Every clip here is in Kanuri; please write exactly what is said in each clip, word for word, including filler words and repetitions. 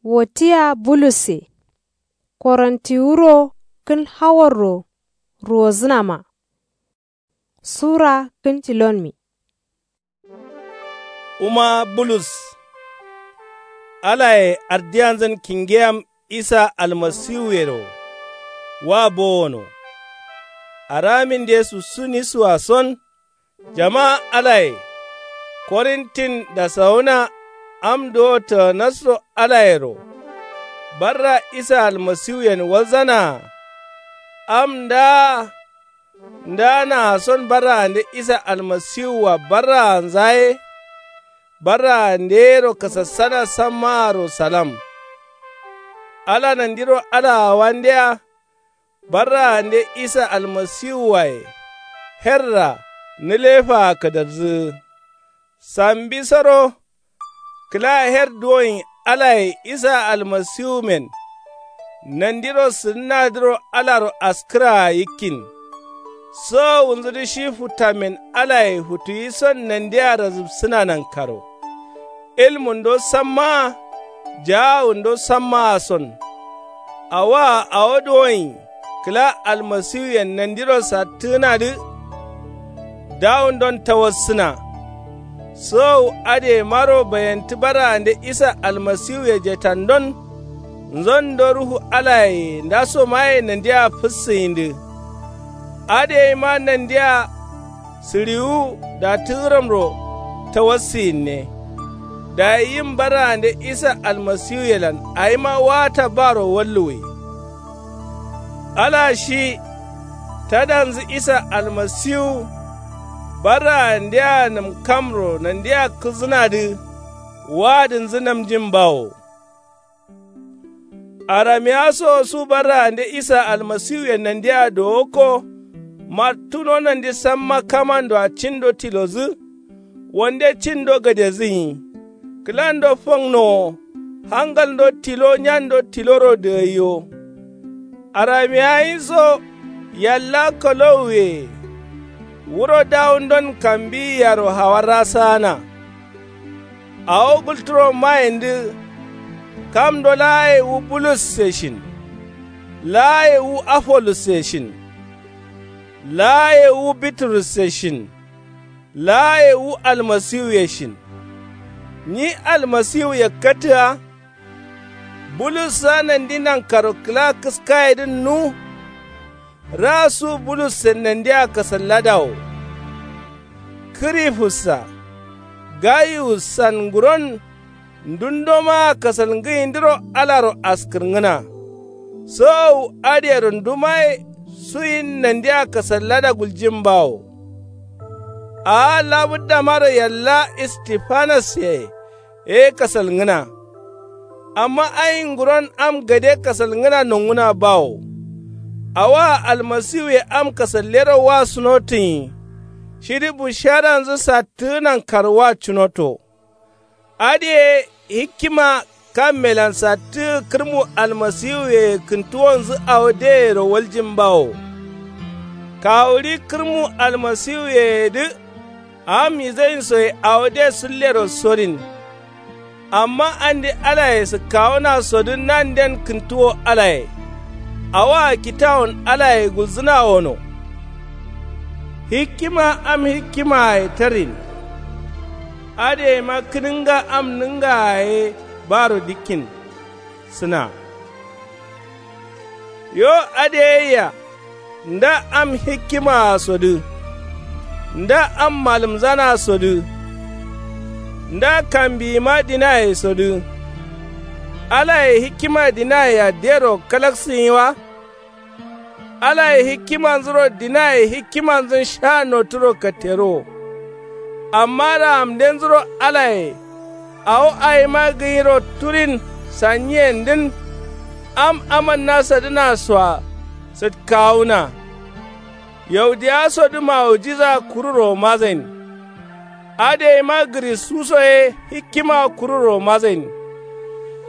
Wotiya bulusse. Korontiwuro kǝn hawarro ruwozǝnama. Sura kǝn tilonmi. Wuma bulus. Alaye ardiyanzǝn kingeyam isa almasiwuyero wa bowono. Araminde sussuni suwason. Jama alaye korintin dasawuna am duwo tǝgǝnasro alayero. Barra isa almasiwuyen walzanaa. Am ndaa ndaa naason barraande isa almasiwua barraanza ye. Barraande yero kasassana sammaaro salam. Ala nandiro alaawandeya. Barraande isa almasiwuwaye herra nǝlefaa kǝdarzǝgǝ. Sambisoro kǝla her duwoin alaye isa almasiwumen. Nandiro sǝdǝnadǝro alaro askǝraa yikkin. Sowowunzudǝ shi futtamen alaye futtuyison nandia razǝbsǝna nankaro. Ilmundo sammaa jaawundo sammaason. Awaa awo duwoin kǝla almasiwuyen nandiro sattǝgǝnadǝ. Dawundon tawassǝna. Sowowu adǝyemaro bayantǝ barraande isa almasiwuye jetandon. Nzondo ruhu alaye ndasomaye nandia fǝssǝyindǝ. Adǝyeima nandia sǝɍiwu datǝgǝromro tawassǝyinne. Dayi yim barraande isa almasiwuyelan awima waata baro walluwwi. Ala shi tadanzǝ isa almasiwu barraandea nǝmkamro nandia kǝzǝnadǝ. Waadǝnzǝ namjin bawo. Aramiya so su barraande isa almasiwuyen nandia dowokko. Martuno nandi samma kamandoa cindo tilozǝ. Wande cindo gadezǝ nyi. Kǝlando fangnowo. Hangalndo tilo nyando tiloro dǝgaiyo. Aramiya nyiso yalla kalowuye. Wuro dawundon kambiyi yaro hawarra saana. Awo gulturo mayendǝ. Kamdo laaye wu bulusse shin. Laaye wu afolusse shin. Laaye wu biturusse shin. Laaye wu almasiwuye shin. Nyi almasiwu yakkatǝa. Bulussa nandi nankaro kǝla kǝskayedǝn nu. Raasu bulussen nandia kasallada wo. Kǝrifussa gayuwussan nguron. Ndundo maa kasalngǝyindǝro alaro askǝrngǝna. Sowowu adǝyero ndumaye suyin nandia kasallada guljin bawo. Aa labǝddamaro yalla istifanasse ye kasalngǝna. Amma ai nguron am gade kasalngǝna nonguna bawo. Awaa almasiwuye am kasallero wa sunotunyi. Shidǝ busharanzǝ sattǝgǝnan karwa cunoto. Adǝye hikkima kammelan sattǝgǝ kǝrmu almasiwuyeye kǝntuwonzǝ awo deyero waljin bawo. Kawuɍi kǝrmu almasiwuyeyedǝ. Am yizainsoye awo de sǝllero sorin. Amma andi alaye sǝkkawunasodǝ nanden kǝntuwo alaye. Awaa kitawun alaye gulzǝna wono. Hikkima am hikkimaa ye tarrin. Adǝyeima kǝnǝnga am nǝngaa ye baro dikkin sǝna. Yo adǝ yeyya. Nda am hikkimaasodǝ. Nda am malǝmzanasodǝ. Nda kambiyima dinayesodǝ. Alaye hikkima dinayea dero kalaksǝnyi wa. Alaye hikkimanzuro dinaye hikkimanzun sha noturo katteruwo. Amma raamdenzuro alaye awo awima gǝnyiro turin sanyiyendǝn. Am amanna sadǝnasoa sǝtkawuna. Yaudiyasodǝ maujiza kururo mazain. Adǝyeima gǝrisuso ye hikkima kururo mazain.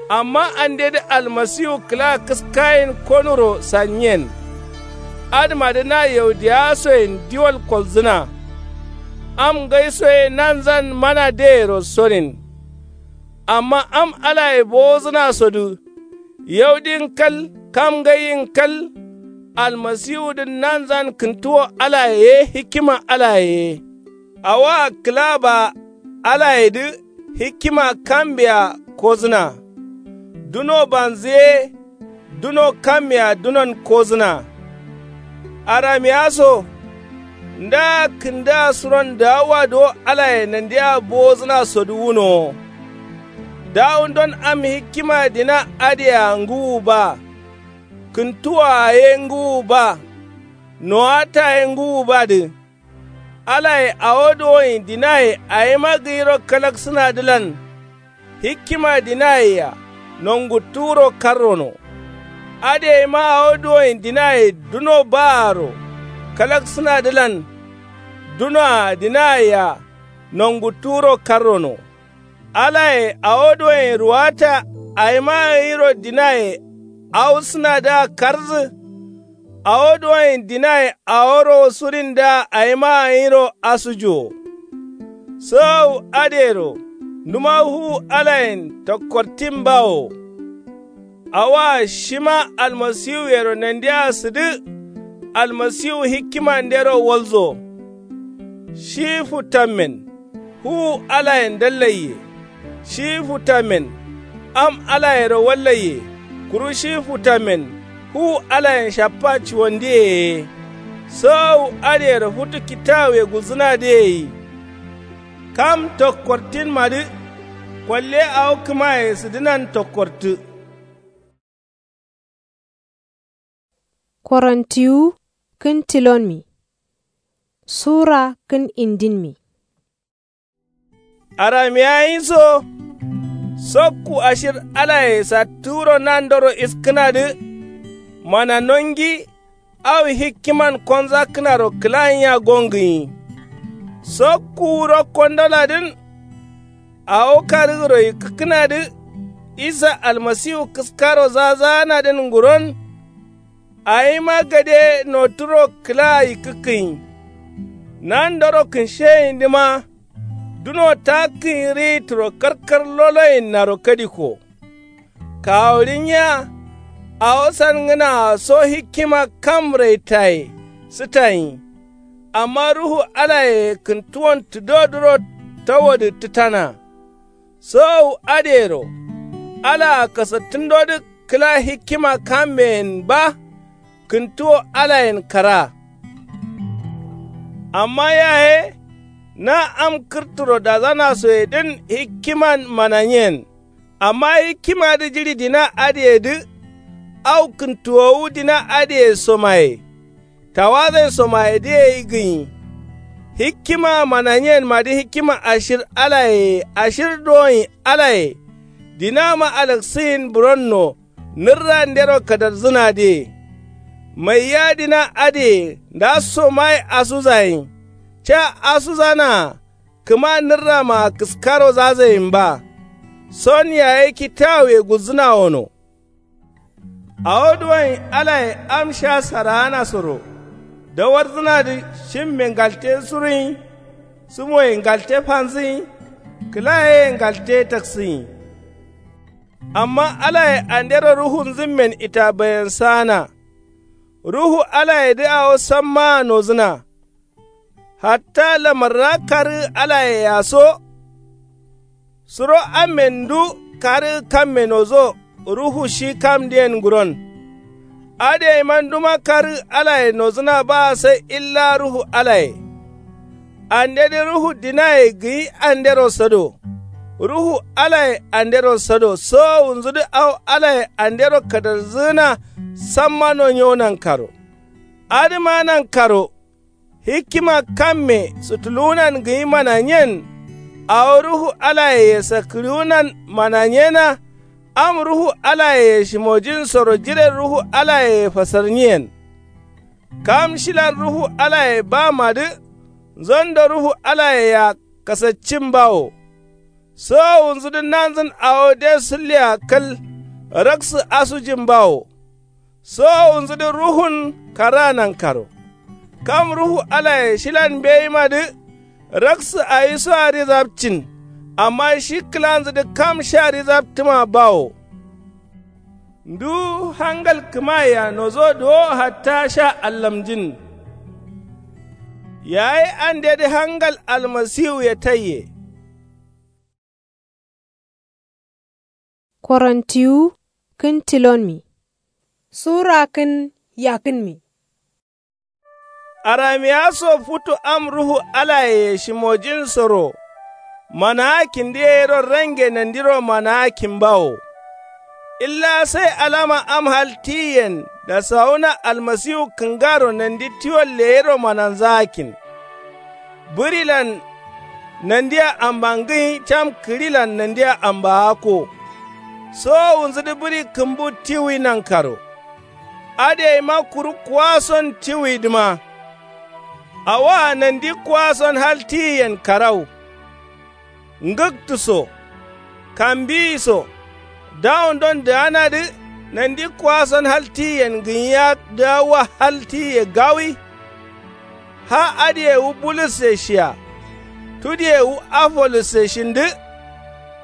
Amma andedǝ almasiwu kǝla kǝskayen konuro sanyiyen. Adǝmadǝ na yaudiyasoyen diwal kolzǝna. Am ngaiso ye nanzan mana deyero sorin. Amma am alaye bowozǝnasodǝ, yaudin kal, kam ngaiyin kal. Almasiwudǝn nanzan kǝntuwo alaye ye hikima alaye ye. Awoa kǝla ba alayedǝ hikima kambeya kozǝna. Duno banzǝ ye duno kammea dunon kozǝna. Aramiya so ndaa kǝndǝa suron daawuwa do alaye nandea bowozǝnasodǝ wunowo. Dawundon am hikima dina adǝyea ngǝwu ba. Kǝntuwoa ye ngǝwu ba. Nowata ye ngǝwu badǝ. Alaye awo dowoin dinaye awima gǝyiro kalaksǝnadǝlan. Hikima dinayea nonguttuwuro karrono. Adǝyeima awo duwoin dinaye duno baaro kalaksǝnadǝlan. Dunoa dinayea nonguttuwuro karrono. Alaye awo duwoin ruwata awima gǝyiro dinaye awusǝnadǝa karǝzǝ. Awo duwoin dinaye aworo surinda awima gǝyiro asujuwo. Sǝwowu adǝyero nduma fuwu alayen tokkortin bawo. Awoa shima almasiwuyero nandea sǝdǝ. Almasiwu hikimandero walzo. Shi futammen fuwu alayen dallaiye. Shi futammen am alayero wallaiye. Kuru shi futammen fuwu alayen shappa cuwandiye ye. Sǝwowu adǝyero futu kitawuye gulzǝnadǝye yi. Kam tokkortinmadǝ kolle awo kǝmaye sǝdǝnan tokkortǝ. Korontiwu kǝn tilonmi. Sura kǝn indinmi. Aramiya nyi so. Sokku ashir alaye sattǝ wuro nandoro iskǝnadǝ. Mana nongi au hikkiman konzakkǝnaro kǝla nyiya gongǝnyi. Sokku wuro kondoladǝn. Awo karǝgǝro yikkǝkkǝnadǝ. Isa almasiwu kǝskaro zazaanadǝn nguron. Awima gade noturo kǝla yikkǝkkǝnyi. Nandoro kǝnsheyindǝma. Duno takkǝnyi riyitturo karkar loloyinnaro kadikko. Kawuɍi nyiya. Awo sangǝnaa so hikkima kam raitaye sǝtanyi. Amma ruhu alayeye kǝntuwon tǝdodǝro tawodǝ tǝtana. Sowowu adǝyero alaa kasattǝndodǝ kǝla hikkima kammeyen ba. Kǝntuwo alayen kara. Amma yaye na am kǝrturo dazanasoyedǝn hikkiman mananyen. Amma hikkimadǝ jiɍi dina adǝyedǝ. Au kǝntuwowu dina adǝye somaye. Tawazain somayedǝye yi gǝnyi. Hikkima mananyenmadǝ hikkima ashir alayeye ashir dowoin alaye. Dinama alaksǝyin buronno. Nǝrrandero kadarjǝnadǝye. Maiya dina adǝye ndasso mai asuzayin. Ca asuzanaa kǝma nǝrramaa kǝskaro zazayin ba. Son yaye kitawuye gulzǝnawono. Awo duwoin alaye am sha saraanasoro. Dawarjǝnadǝ shimme ngalte suruyin. Sǝmoye ngalte fanzǝyin. Kǝlayeye ngalte taksǝyin. Amma alaye andero ruhunzǝmmen itabayensaana. Ruhu alayedǝ awo sammaa nozǝna. Hatta lamarra karǝ alayea so. Suro ammen ndu karǝ kamme nozo. Ruhu shi kamdǝyen nguron. Adǝyeima nduma karǝ alaye nozǝna baa sai illa ruhu alaye. Andedǝ ruhu dinaye gǝyi andero sado. Ruhu alaye andero sado sowowunzudǝ au alaye andero kadarjǝgǝna. Samma nonyewo nankaro. Adǝma nankaro. Hikkima kamme sutuluwunan gǝyi mananyen. Awo ruhu alayeye sakkǝɍiwunan mananyena. Am ruhu alayeye shimojinsoro jiren ruhu alayeye fasarnyiyen. Kam shilan ruhu alaye bamadǝ. Nzondo ruhu alayea kasaccin bawo. Sowowunzudǝ nanzǝn awo de sǝllea kal. Raksǝ asujin bawo. Sowowunzudǝ ruhun karaa nankaro. Kam ruhu alaye shilan mbeyimadǝ. Raksǝ awisoadǝ zapcin. Amma shi kǝlanzǝdǝ kam sha rizabtǝma bawo. Ndu hangal kǝmayea nozo duwo hatta sha allamjin. Yayi andedǝ hangal almasiwuye taiye. Korintiyu kǝn tilonmi. Sura kǝn yakǝnmi. Aramiya so futu am ruhu alayeye shimojinsoro. Manaakin dǝ yeyiro range nandiro manaakin bawo. Illa sai alama am hal tiyiyen dasawuna almasiwu kǝngaro nandi tiwon leyero mananzaakin. Bǝrilan nandia amba ngǝnyi cam kǝɍilan nandia amba akko. Sowowunzǝdǝ bǝri kǝmbu tiwuyi nankaro. Adǝ yeima kuru kuwason tiwuyidǝma. Awoa nandi kuwason hal tiyiyen karau. Ngǝktǝ so. Kambiyi so. Dawundon dǝganadǝ nandi kuwason hal tiyiyen gǝnyiya dǝgawwa hal tiyiye gawi. Ha adǝye wu bulusse shiya. Tudiye wu afolusse shindǝ.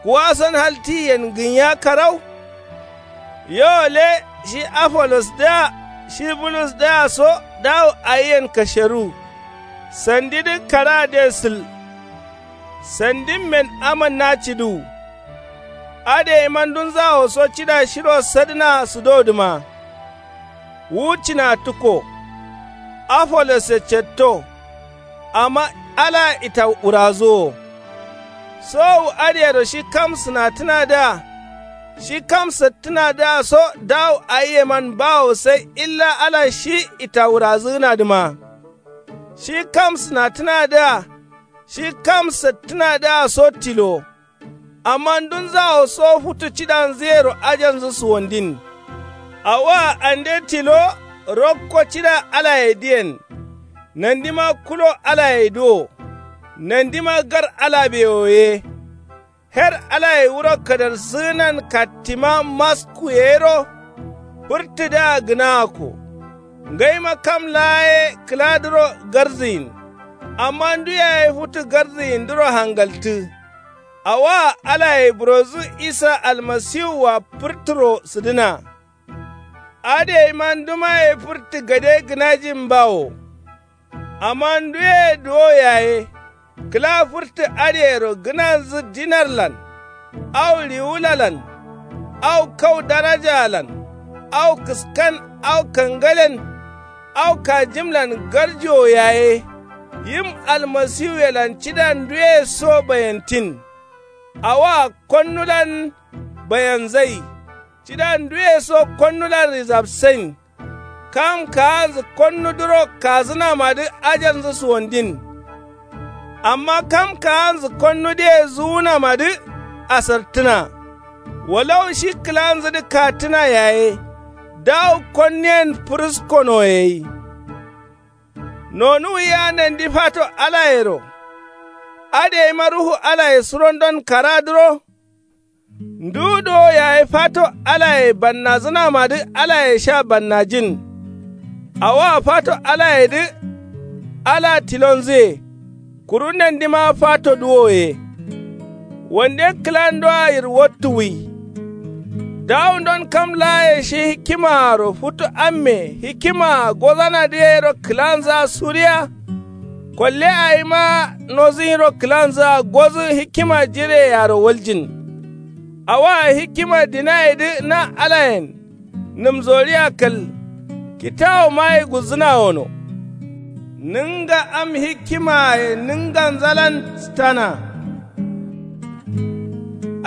Kuwason hal tiyiyen gǝnyiya karau. Yo le shi afolos dǝa shi bulus dǝa so dawu ayiyen kasheru. Sandidǝ karaa de sǝl. Sandimmen amǝnna ciduwu. Adǝ yeima ndunzawo so cida shiro sadǝna sǝdodǝma. Wu cina tǝkko. Afolosse cetto. Amma ala itawurazuwo. Sowu adǝyero shi kam sǝnatǝnadǝa. Shi kam sattǝnadǝa so dawu ayiyeman bawo sai illa ala shi itawurazǝgǝnadǝma. Shi kam sǝnatǝnadǝa. Shi kam sattǝnadǝa so tilo. Amma ndunzawo so futu cidanzǝyero ajanzǝ suwandin. Awoa ande tilo. Rokko cida alayedǝyen. Nandima kulo alayedǝ wo. Nandima gar alabewo ye. Her alaye wuro kadarsǝgǝnan kattima masku yeyiro. Fǝrtǝdǝa gǝnagakko. Ngaima kam laa ye kǝladǝro garzǝyin. Amma ndu yaye futu garzǝyindǝro hangaltǝ. Awoa alaye burodǝ isa almasiwua fǝrtǝro sǝdǝna. Adǝ yeima ndumaye fǝrtǝ gade gǝnajin bawo. Amma nduye duwo yaye kǝla fǝrtǝ adǝyero gǝnanzǝ dinarlan. Au riwulalan. Au kau darajaalan. Au kǝskan. Au kangalen. Au kajimlan garjowo yaye. Yim almasiwuyelan cida nduye so bayantin. Awoa konnulan bayanzai. Cida nduye so konnulan rizabsain. Kam kaanzǝ konnudǝro kazǝnamadǝ ajanzǝ suwandin. Amma kam kaanzǝ konnudǝye zuwunamadǝ asartǝna. Walau shi kǝlanzǝdǝ kattǝna yaye. Dawu konnuyen fǝrǝskono gai. Nonuwuya nandi fato alayero. Adǝ yeima ruhu alaye surondon karadǝro. Ndu dowo yaye fato alaye bannazǝnamadǝ alaye sha bannajin. Awoa fato alayedǝ. Ala tilonzǝye. Kuru nandima fato duwo ye. Wande kǝlandoa yirwattuwwi. Dawundon kam laaye shi hikimaaro futu amme hikimaa gozanadǝ yero kǝlanzǝa suriya. Kolle awima nozǝnyiro kǝlanzǝa gozǝ hikima jireyearo waljin. Awoa hikima dinayedǝ na alayen. Nǝmsoriya kal. Kitawomaye gulzǝna wono. Nǝnga am hikimaye nǝnganzalan sǝtana.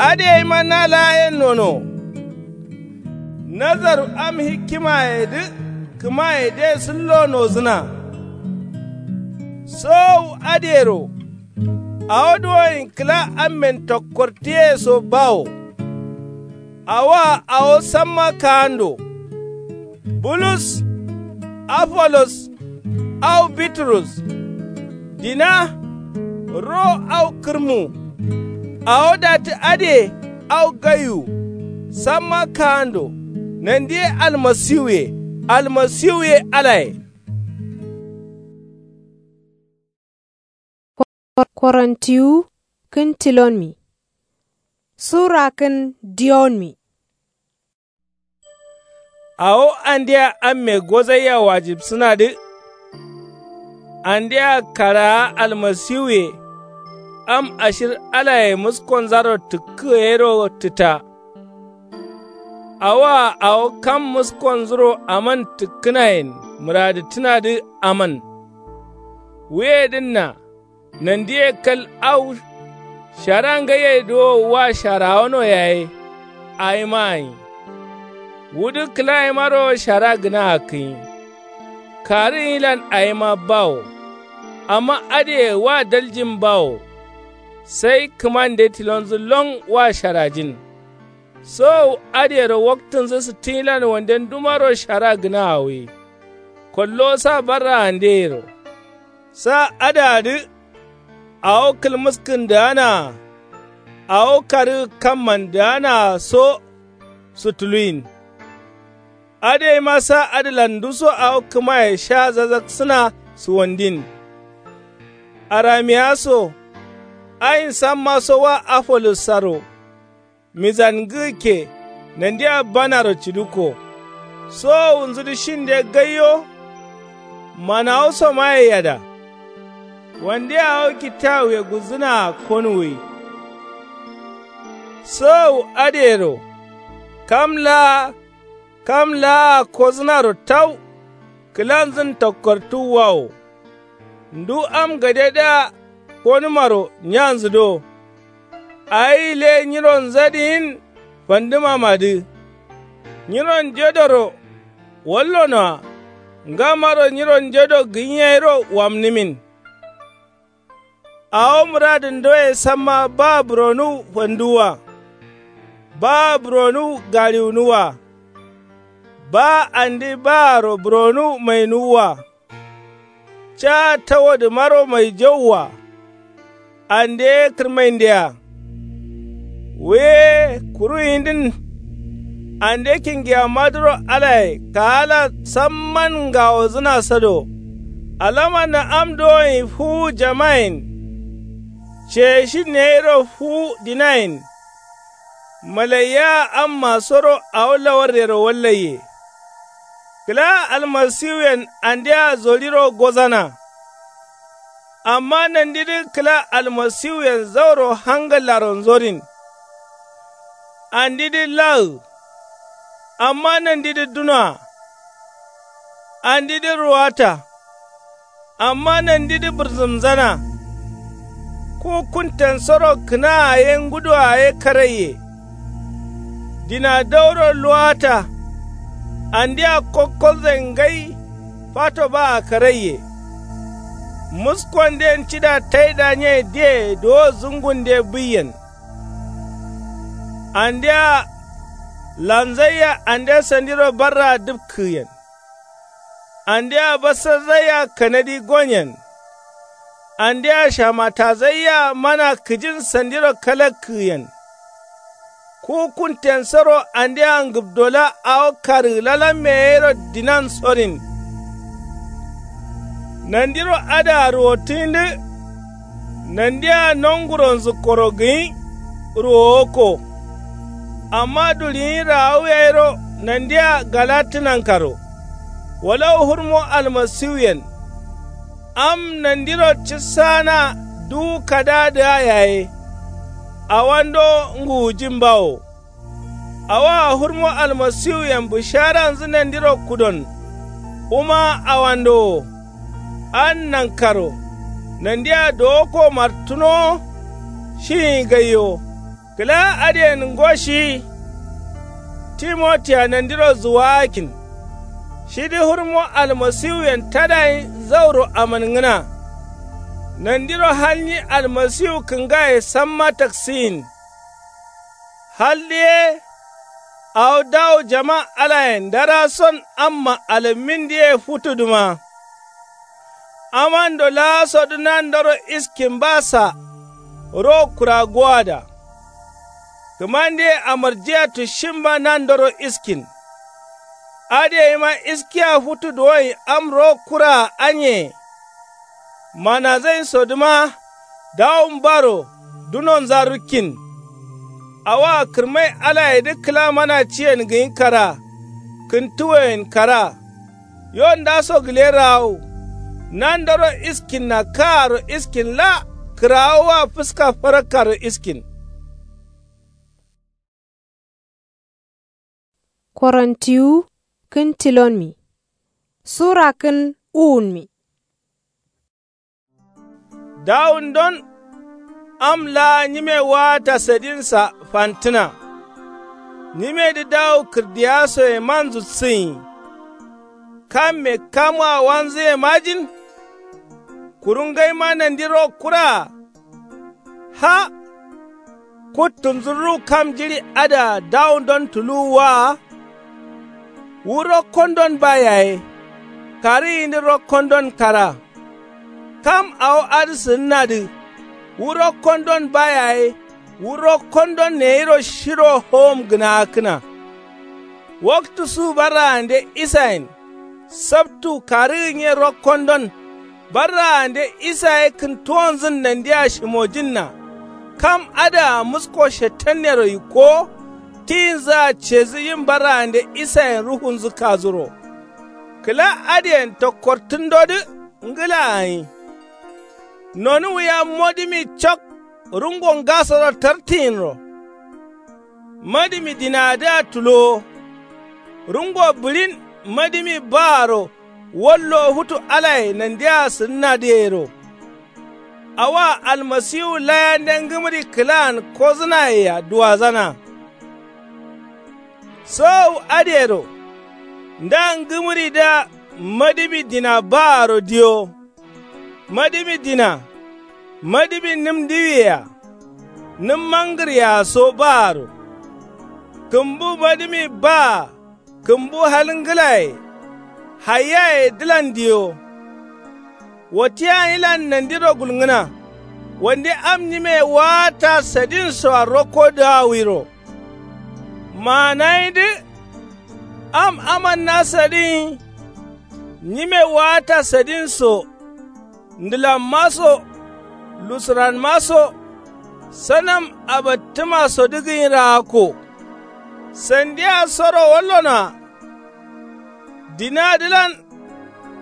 Adǝ yeima na laa yen nono. Nazaru am hikimayedǝ kǝmayede sǝllo nozǝna. Sowowu adǝyero. Awo duwoyin kǝla ammen tokkortǝye so bawo. Awoa awo samma kaando. Bulus. Afolos. Au biturus. Dina. Ro au kǝrmu. Awo datǝ adǝye. Au gaiwu. Samma kaando. Nandi ye almasiwu ye. Almasiwu ye alaye. Korintiyu kǝn tilonmi. Sura kǝn diyonmi. Awo andea amme gozaiya wajibsǝnadǝ. Andea karaa almasiwuye am ashir alaye muskonzaro tǝkkǝ yero tǝta. Awoa awo kam muskonzuro aman tǝkkǝnayen mǝradǝttǝnadǝ aman. Wuyedǝnna nandiye kal au shara ngaiye duwo wa sharawano yaye. Awima gǝnyi wudǝ kǝlayimaro shara gǝna akkǝnyi. Karǝ gǝnyilan awima bawo. Amma adǝye wa daljin bawo. Sai kǝmande tilonzǝ lon wa sharajin. Sowowu adǝyero waktǝnzǝ sǝttǝnyilan wanden dumaro shara gǝna awoi. Kollo sa barraandeyero. Sa adǝadǝ awo kǝlmǝskǝndǝanaa awo karǝ kammandǝanaa so. Sutuluyin adǝ yaima sa adǝlan nduso awo kǝmaye sha zazaksǝna. Suwandin aramiya so. Ayin samma so wa afolus saro. Mizan ngǝkke nandia banaro cidukko. Sowowunzudǝ shinde gaiyo. Manawusomaye yada. Wande awo kittawuye gulzǝnaa konuwwi. Sowowu adǝyero kam laa kam laa kozǝnaro tau. Kǝlanzǝn tokkortuwwa wo. Ndu am gadedǝa konǝmaro nyanzǝ do. Awi le nyironzadǝ yin fandǝmamadǝ. Nyironjedoro wallonoa. Ngammaro nyironjedo gǝnyi yairo wamnǝmin. Awo mǝradǝndoye samma ba buronuwu fanduwwa. Ba buronuwu gariwunuwwa. Ba andi baaro buronuwu mainuwwa. Ca tawodǝmaro maijauwwa. Ande kǝrmaindea. Wuye kuru yindin. Ande kingiyammadǝro alaye kaala samman ngawozǝna sado. Alamanna am dowoyin fuwu jamayen. Ceye shin yairo fuwu dinayen. Malaiya amma soro awo lawarrero wallaiye. Kǝla almasiwuyen andea zoliro gozana. Amma nandidǝ kǝla almasiwuyen zauro hangallaro nzorin. Andidǝ lawu. Amma nandidǝ dunoa. Andidǝ ruwata. Amma nandidǝ bǝrzǝmzana. Ku kuntensoro kǝnaa ye ngudoa ye karaiye. Dina dauro luwata. Andea kokkolzain ngai. Fato baa karaiye. Muskuwanden cida taidanye diye duwo zungunde buiyen. Andea lanzaiya ande sandiro barraa dǝpkǝyen. Andea basarzaiya kanadi gonyen. Andea shamatazaiya mana kǝjin sandiro kalakkǝyen. Ku kuntensoro andea ngǝbdola awo karǝgǝlalamme yairo dinan sorin. Nandiro adǝa ruwottǝyindǝ. Nandea nonguronzǝkkoro gǝnyi ruwowokko. Amma duɍiyin rawu yairo nandea galattǝnankaro. Walawu hurmo almasiwuyen. Am nandiro cǝssaana duwu kadaadǝa yaye. Awando nguwujin bawo. Awoa hurmo almasiwuyen bǝsharanzǝ nandiro kudon. Wuma awando wo. An nankaro nandia dowokko martǝnowo. Shiyi gaiyo kǝla adǝyen ngo shiyi. Timotiya nandiro zuwagakkin. Shidǝ hurmo almasiwuyen tadayin zauro amangǝna. Nandiro hal nyi almasiwu kǝngaye samma taksiyin. Haldǝ ye. Awo dawu jama alayen ndarason amma alammin diye futudǝma. Amando laasodǝ nandoro iskin ba sa. Ro kura gowada. Kǝmande amarjiya tushimba nandoro iskin. Adǝ yaima iskiya futu duwoin am ro kuraa anyeye. Manazain sodǝma dawun baro dunonza rukkin. Awoa kǝrmai alayedǝ kǝla mana ciyen gǝnyi karaa. Kǝntuwoyen karaa. Yo ndaso gǝle raawu. Nandoro iskinna kaaro iskin la. Kǝrawowa fǝska farakkaro iskin. Korontiwu kǝn tilonmi. Sura kǝn uwunmi. Dawundon am laa nyime waata sadinsa fantǝna. Nyimedǝ dawu kǝrdiyasoye manzu sǝnyi. Kamme kamwa wanzǝyemajin. Kuru ngaima nandi rokkuraa. Ha. Kuttunzǝ ruwu kam jiɍi adǝa dawundon tuluwu waa. Wu rokkondon ba yaye. Karǝyindǝ rokkondon karaa. Kam awo adǝ sǝnnadǝ. Wu rokkondon ba yaye. Wu rokkondon neyiro shiro howom gǝnaakkǝna. Waktu su barraande isayen. Sabtu karǝgǝ nye rokkondon. Barraande isa ye kǝntuwonzǝn nandia shimojǝnna. Kam adǝa musko shetannero yikkowo. Tiyinzǝa cedǝ yim barraande isayen ruhunzǝ kazuro. Kǝla adǝyen tokkortǝndodǝ ngǝla gǝnyi. Nonuwuya modǝmi cok. Rungo ngasoro tartǝyinro. Madǝmi dinadǝa tulowo. Rungo bǝɍin madǝmi baaro. Wallo futu alaye nandia sǝnnadǝ yero. Awoa almasiwu layande ngǝmǝri kǝlaan kozǝnayea duwazana. Sowowu adǝyero. Nda ngǝmǝridǝa madǝmi dina baaro diyo. Madǝmi dina. Madǝmi nǝm ndiwiyea. Nǝm mangǝryea so baaro. Kǝmbu madǝmi baa. Kǝmbu hal ngǝlaye. Hayiyaye dǝlan diyo. Wotiyanyilan nandiro gulngǝna. Wande am nyimeye waata sadinsoa rokko dǝgawiro. Maanayindǝ. Am amanna sadin. Nyime waata sadinso. Ndǝlamma so. Lusuranma so. Sanam abattumasodǝ gǝnyi raakko. Sandiya soro wallonoa. Dinadǝlan.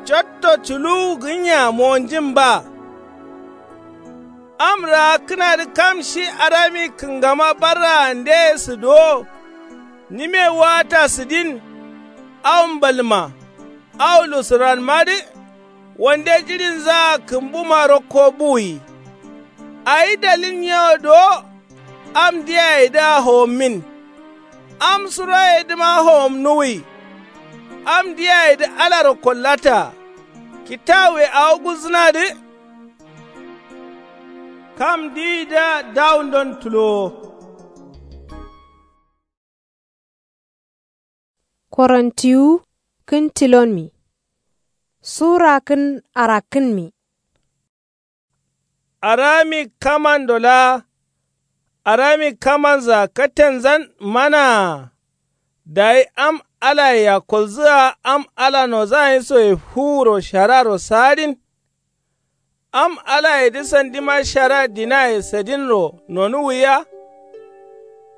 Cotto culuwu gǝnya monjin ba. Am raakkǝnadǝ kam shi arami kǝngama barraandeye sǝduwo. Nyime waata sǝdin. Awo mbalma. Awo lusuranmadǝ. Wande jiɍinzaa kǝmbuma rokko buwi. Awi dalil nyewo duwo. Am diyayedǝa howommin. Am suroyedǝma howomnuwi. Am diyayedǝ alaro kollata. Kitawuwe awo gulzǝnadǝ. Kam diyidǝa dawundon tulowo. Korontiwu kǝn tilonmi. Sura kǝn arakkǝnmi. Arami kamando laa. Arami kamanzǝa katenzan manaa. Dayi am alayea kolzǝa am ala nozanyisoye fuwuro shararo saadin. Am alayedǝ sandima shara dinaye sadinro nonuwwiya.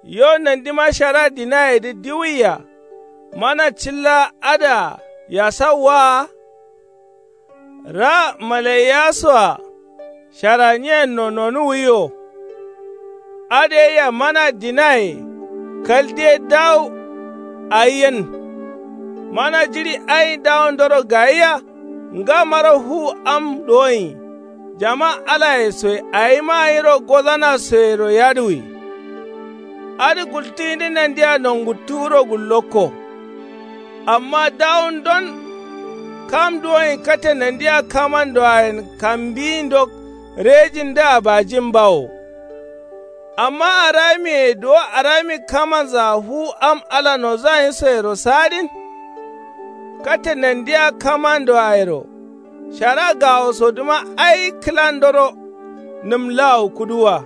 Yo nandima shara dinayedǝ diwwiya. Mana cilla adǝa yasawwaa. Ra malaiyasoa. Shara nyiyenno nonuwwiyo. Adǝ yeyia mana dinaye. Kal diye dawu. Ayi yen. Mana jiɍi ayin dawundoro gayia. Ngamaro fu am duwonyi. Jama alayesoye awima nyiro gozanasoyero yadǝwi. Adǝ gultǝyindǝ nandia nonguttuwuro gullokko. Amma dawundon. Kam duwonyi kate nandia kamandoayen kambiyindo rejindǝa bajin bawo. Amma aramiye duwo arami kamanzaa fu am ala nozanyisoyero saadin. Kate nandia kamandoayero. Shara gawosodǝma ai kǝlandoro. Nǝm lawu kuduwa.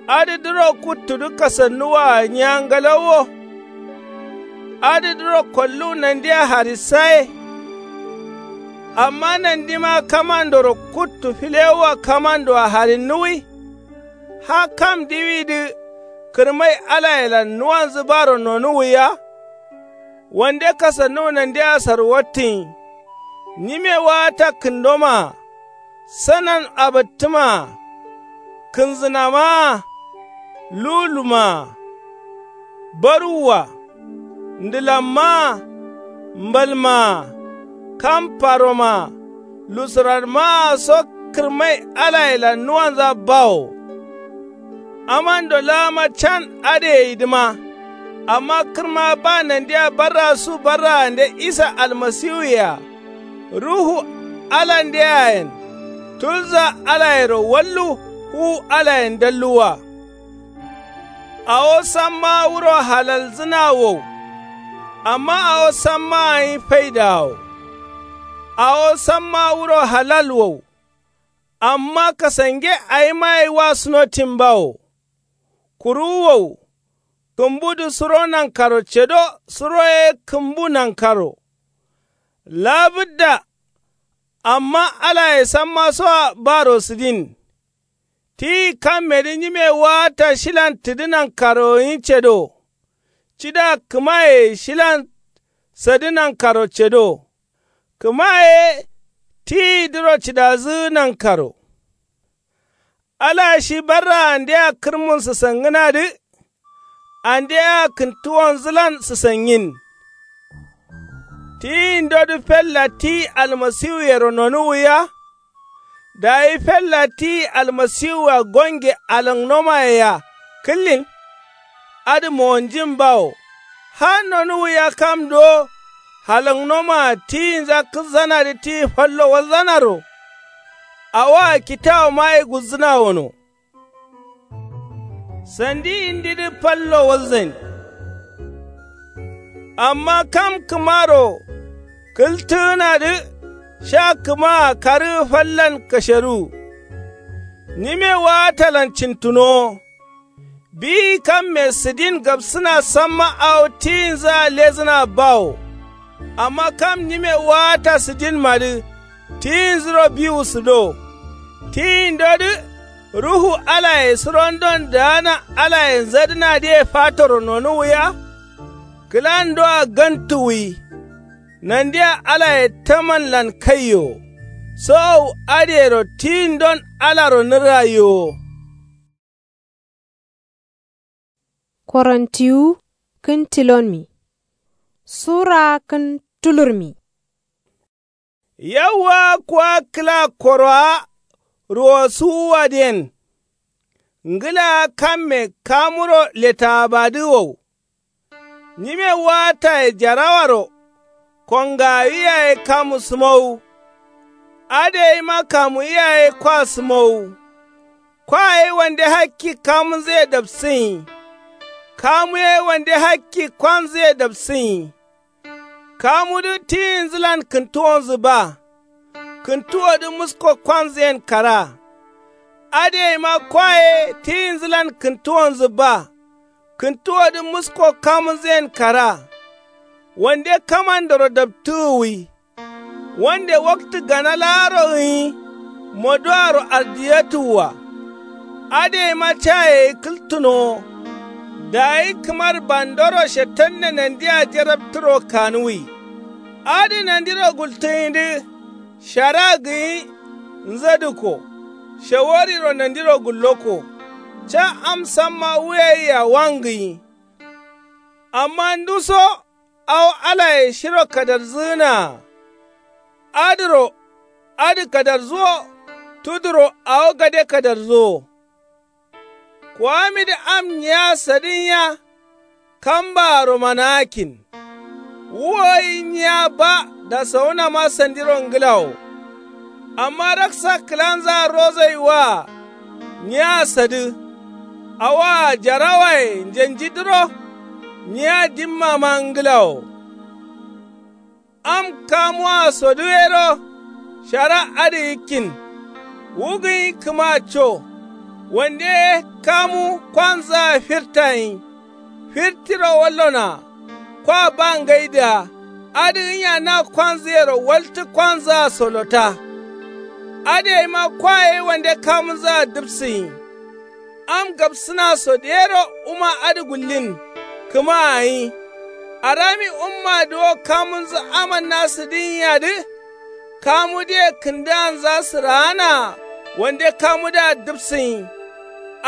Adǝdǝro kuttudǝ kasannuwaa nyiya ngalauwo. Adǝdǝro kolluwu nandia harissaye. Amma nandima kamandoro kuttu filewua kamandoa harinnuwwi. Ha kam diwidǝ. Kǝrmai alayelan nuwanzǝ baro nonuwwiya. Wande kasannuwu nandeya sarwattǝnyi. Nyime waata kǝndomaa, sanan abǝttǝmaa, kǝnzǝnamaa, lulumaa, baruwwa, ndǝlammaa, mbalmaa, kam paromaa, lusuranmaa so. Kǝrmai alayelan nuwanza bawo. Amando laama can adǝ yeyidǝma. Amma kǝrma ba nandeya barra su barraande isa almasiwuyea. Ruhu alandeyayen tulza alayero wallu. Wu alayen dalluwwa. Awo samma wuro halalzǝna wow. Amma awo samma gǝnyi faidaa wo. Awo samma wuro halal wow. Amma kasange awima ye wa sunotin bawo. Kuru wow. Kǝmbudǝ suro nankaro cedo. Suro ye kǝmbu nankaro. Labǝdda. Amma alaye samma soa baro sǝdin. Tiyi kammedǝ nyime waata shilan tǝdǝ nankaro gǝnyi cedo. Cida kǝmaye shilan sadǝ nankaro cedo. Kǝmaye tiyidǝro cidazǝ nankaro. Ala shi barraandea kǝrmun sǝsangǝnadǝ. Andea kǝntuwonzǝlan sǝsangin. Tiyindodǝ fella tiyi almasiwuyero nonuwwiya. Dayi fella tiyi almasiwua gonge alǝngnomayea kǝllin. Adǝ mowonjin bawo. Har nonuwwiya kam duwo halǝngnomaa tiyinza kǝlzanadǝ tiyi fallo walzanaro. Awoa kitawoma ye gulzǝna wono. Sandi yindidǝ fallo walzain. Amma kam kǝmaro kǝltǝgǝnadǝ sha kǝmaa karǝgǝ fallan kasheruwu. Nyime waatalan cintunowo. Biyi kamme sǝdin gabsǝna samma awo tiyinzǝa lezǝna bawo. Amma kam nyime waata sǝdinmadǝ tiyinzǝro biwu sǝdo. Tiyindodǝ ruhu alaye surondon daana alaye nzadǝnadǝye fatoro nonuwwiya. Kǝlandoa gantuwwi. Nandea alaye tamanlan kaiyo. Sowowu adǝyero tiyindon alaro nǝrrayiwo. Korontiwu kǝn tilonmi sura kǝn tulurmi. Yauwa kuwa kǝla korowa ruwosuwuwadǝyen. Ngǝlaa kamme kamuro letaabadǝ wow. Nyime waataye jarawaro kongawi yaye kamu sǝmowu. Adǝ yayima kamuwi yaye kwa sǝmowu. Kwa ye wande hakki kamunzǝye dapsǝnyi. Kamu ye wande hakki kwanzǝye dapsǝnyi. Kamudǝ tiyinzǝlan kǝntuwonzǝ ba. Kǝntuwodǝ musko kwanzǝyen kara. Adǝ yayima kwa ye tiyinzǝlan kǝntuwonzǝ ba. Kǝntuwodǝ musko kamunzǝyen kara. Wande kamandoro daptǝgǝwwi. Wande waktǝ gana laaro gǝnyi moduwaro ardiyatǝwwa. Adǝ yema caye kǝltǝnowo. Dayi kǝmar bandoro shetanne nandia jarabtǝro kanuwi. Adǝ nandiro gultǝgǝnyidǝ shara gǝnyi nzadǝko. Shawariro nandiro gulloko. Ca am samma wuyayia wangǝnyi. Amma nduso awo alaye shiro kadarzǝgǝnaa. Adǝro adǝ kadarzuwo. Tuduro awo gade kadarzuwo. Kuwamidǝ am nyiya sadǝnya. Kambaaro manaakin. Wu gai nyiya ba dasawunama sandiro ngǝlawo. Amma raksa kǝlanzaa rozai waa nyiya sadǝ. Awoa jarawaye njanjidǝro. Nyiya dimmama ngǝlawo. Am kamuwa sodǝ yero shara adǝ yikkin. Wu gǝnyi kǝma co. Wande ye kamu kwanzaa firtayin. Firtiro wallona. Kwa ba ngaidǝa adǝ gǝnya na kwanzǝyero waltǝ kwanzaa solota. Adǝ yaima kwa ye wande kamunzaa dǝpsǝnyi. Am gabsǝna so dero wuma adǝ gullin. Kǝma ayi arami wumma duwo kamunzǝ amanna sǝdǝnyiyadǝ. Kamu diye kǝndǝanza sǝraana wande kamudǝa dǝpsǝnyi.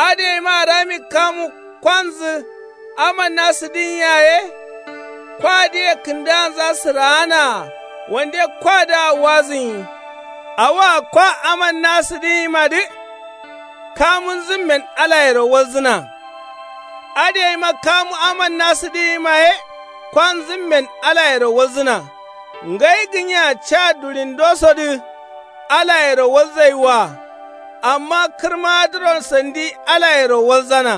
Adǝ yaima arami kamu kwanzǝ amanna sǝdǝnyi yaye. Kwa diye kǝndǝanza sǝraana wande kwadǝa wazǝnyi. Awoa kwa amanna sǝdǝnyimadǝ. Kamunzǝmmen alayero walzǝna. Adǝ yaima kamu amanna sǝdǝnyimaye. Kwanzǝmmen alayero walzǝna. Ngai gǝnya ca dulindosodǝ alayero walzai wa. Amma kǝrmadǝro sandi alayero walzana.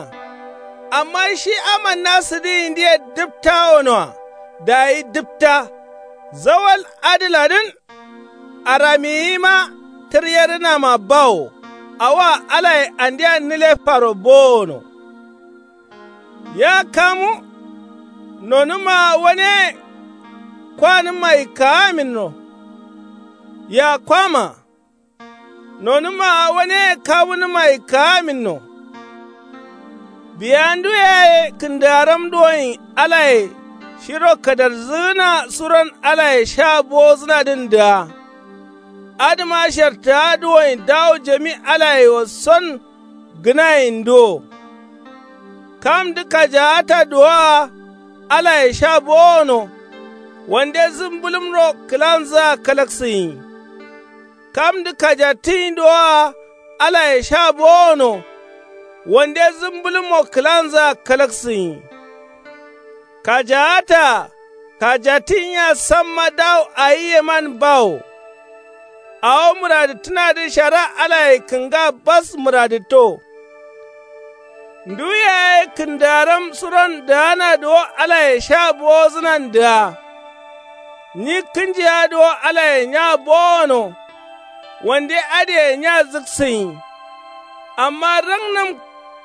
Amma shi amanna sǝdǝyindiye dǝpta wonoa. Dayi dǝpta zawal adǝladǝn. Aramiyima tǝryerǝnama bawo. Awoa alaye andeya nǝlefaro bowono. Ya kamu nonǝmmaa waneye. Kwanǝmma yikkaaminno. Ya kwama nonǝmmaa waneye kamunǝmma yikkaaminno. Biya ndu yaye kǝndaaram duwoyin alaye shiro kadarzǝgǝna suron alaye sha bowozǝnadǝn dǝa. Adǝma shartǝa duwoyin dawo jami alaye wasson. Gǝnayin duwo. Kamdǝ kajaata duwoa alaye sha bowono. Wande zǝmbǝlǝmro kǝlanzǝa kalaksǝnyi. Kamdǝ kajattǝnyi duwoa alaye sha bowono. Wande zǝmbǝlǝmmo kǝlanzǝa kalaksǝnyi. Kajaata kajattǝnyiya samma dawo ayiyeman bawo. Awo mǝradǝttǝnadǝ shara alaye kǝnga bas mǝradǝtto. Ndu yaye kǝndaaram suron dǝana duwo alaye sha bowozǝnan dǝa. Nyi kǝnjiya duwo alaye nya bowono. Wande adǝye nya zǝksǝnyi. Amma rangnǝm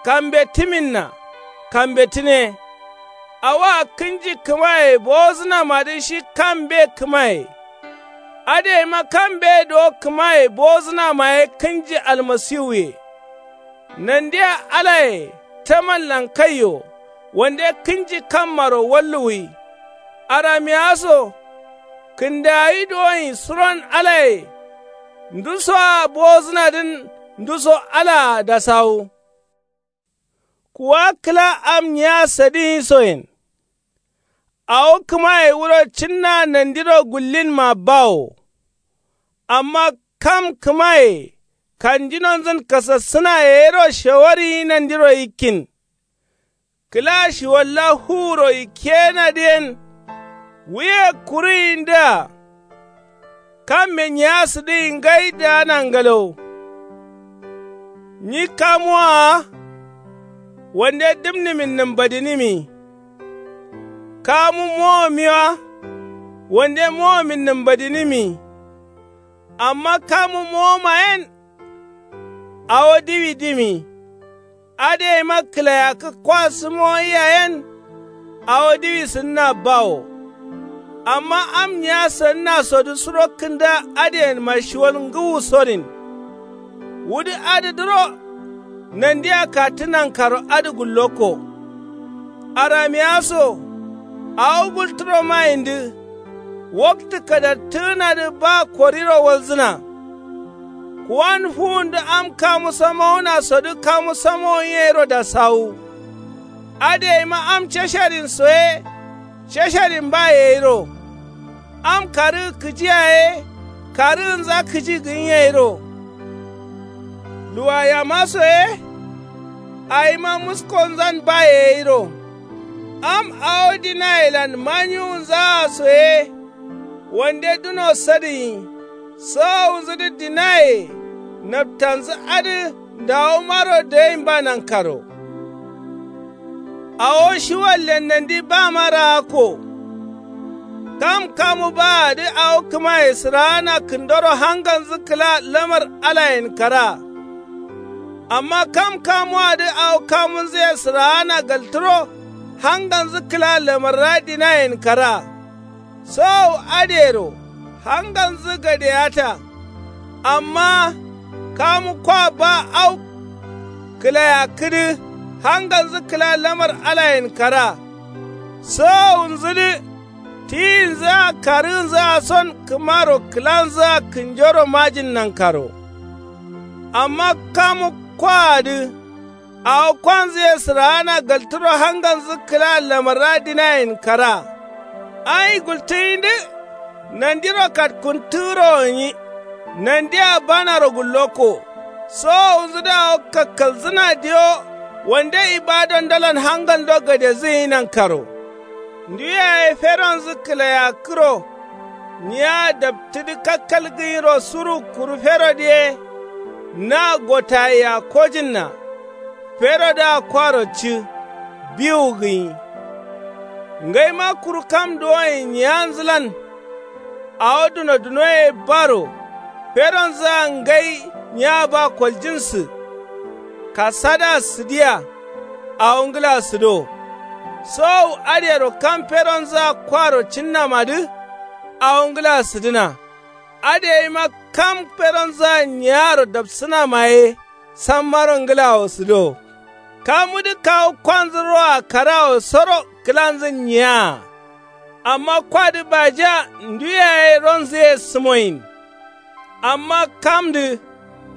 kambettǝminna. Kambettǝne. Awoa kǝnji kǝmaye bowozǝnamadǝ shi kambe kǝmaye. Adǝ yaima kambe duwo kǝmaye bowozǝnamaye kǝnji almasiwuye. Nandiya alaye taman lankaiyo. Wande kǝnji kammaro walluwwi. Aramiya so kǝndaawi duwoyin suron alaye. Ndusoa bowozǝnadǝn nduso alaa dasawu. Kuwa kǝla am nyiya sadǝnyi soyen. Awo kǝmaye wuro cǝnna nandiro gullinma bawo. Amma kam kǝmaye kanjinonzǝn kasassǝna yeyiro shawariyi nandiro yikkin. Kǝla shiwalla fuwuro yikkeyenadǝ yen. Wuye kuruyindǝa. Kamme nyiya sǝdǝyi ngai daana ngalawo. Nyi kamuwa. Wande dǝmnǝmin nǝmbadinimi. Kamu mowomiwa. Wande mowomin nǝmbadinimi. Amma kamu mowomayen. Awo diwi dimi. Adǝ yaima kǝlayakkǝ kwa sǝmoyiya yen. Awo diwi sǝnna bawo. Amma am nyiya sǝnnasodǝ suro kǝnda adǝyenma shiwal ngǝwusodin. Wudǝ adǝdǝro nandiya kattǝ nankaro adǝ gullokko. Aramiya so awo gultǝro mayindǝ. Waktǝ kadattǝgǝnadǝ ba koriro walzǝna. Kuwan fuwundǝ am kamu samowunasodǝ kamu samowun yeyiro dasawu. Adǝ yaima am casharinso ye casharin ba yeyiro. Am karǝgǝ kǝjiya ye karǝgǝnza kǝji gǝnyeyiro. Luwayamaso ye awima muskonzan ba yeyiro. Am awo dinayelan manyiwunzaa so ye. Wande duno sadǝnyi. Sawawunzudǝ dinaye naptanzǝ adǝ ndawomaro dayinba nankaro. Awo shiwallen nandi bama raakko. Kam kamu baadǝ awo kǝmaye sǝraana kǝndoro hanganzǝ kǝla lamar alayen kara. Amma kam kamuwadǝ awo kamunzǝye sǝraana galtǝro hanganzǝ kǝla lamarra dinayen kara. Sowowu adǝyero hanganzǝ gadeyata. Amma kamu kwa ba au. Kǝlayakkǝdǝ hangalnzǝ kǝla lamar alayen kara. Sowowunzǝdǝ tiyinzǝa karǝgǝnzǝa son kǝmaro kǝlanzǝa kǝnjoro majin nankaro. Amma kamu kwaadǝ awo kwanzǝye sǝraana galtǝro hangalnzǝ kǝla lamarra dinayen kara. Ayi gultǝyindǝ nandiro katkuntǝgǝro gǝnyi. Nandia banaro gullokko. Sowowunzǝdǝ awo kakkalzǝna diyo wande ibadandalan hangaldo gadezǝ gǝnyi nankaro. Ndu yaye feronzǝ kǝlayakkǝro. Nyiya daptǝdǝ kakkal gǝnyiro suru kuru ferodǝ ye. Na gotayea kojǝnna ferodǝa kwaro ci. Biwu gǝnyi. Ngaima kuru kam duwoyen nyiyanzǝlan. Awo duno dunoye baro feronzǝa ngai nyiya ba koljǝnsǝ. Kasadǝa sǝdiya. Awo ngǝla sǝdo. Sowowu adǝyero kam feronzǝa kwaro cinnamadǝ. Awo ngǝla sǝdǝna. Adǝ yaima kam feronzǝa nyiyaro dapsǝnamaye. Sammaro ngǝlawo sǝdo. Kamudǝ kawu kwanzǝ roa karawo soro kǝlanzǝn nyiyaa. Amma kwadǝ bajiya ndu yaye ronzǝye sǝmoyin. Amma kamdǝ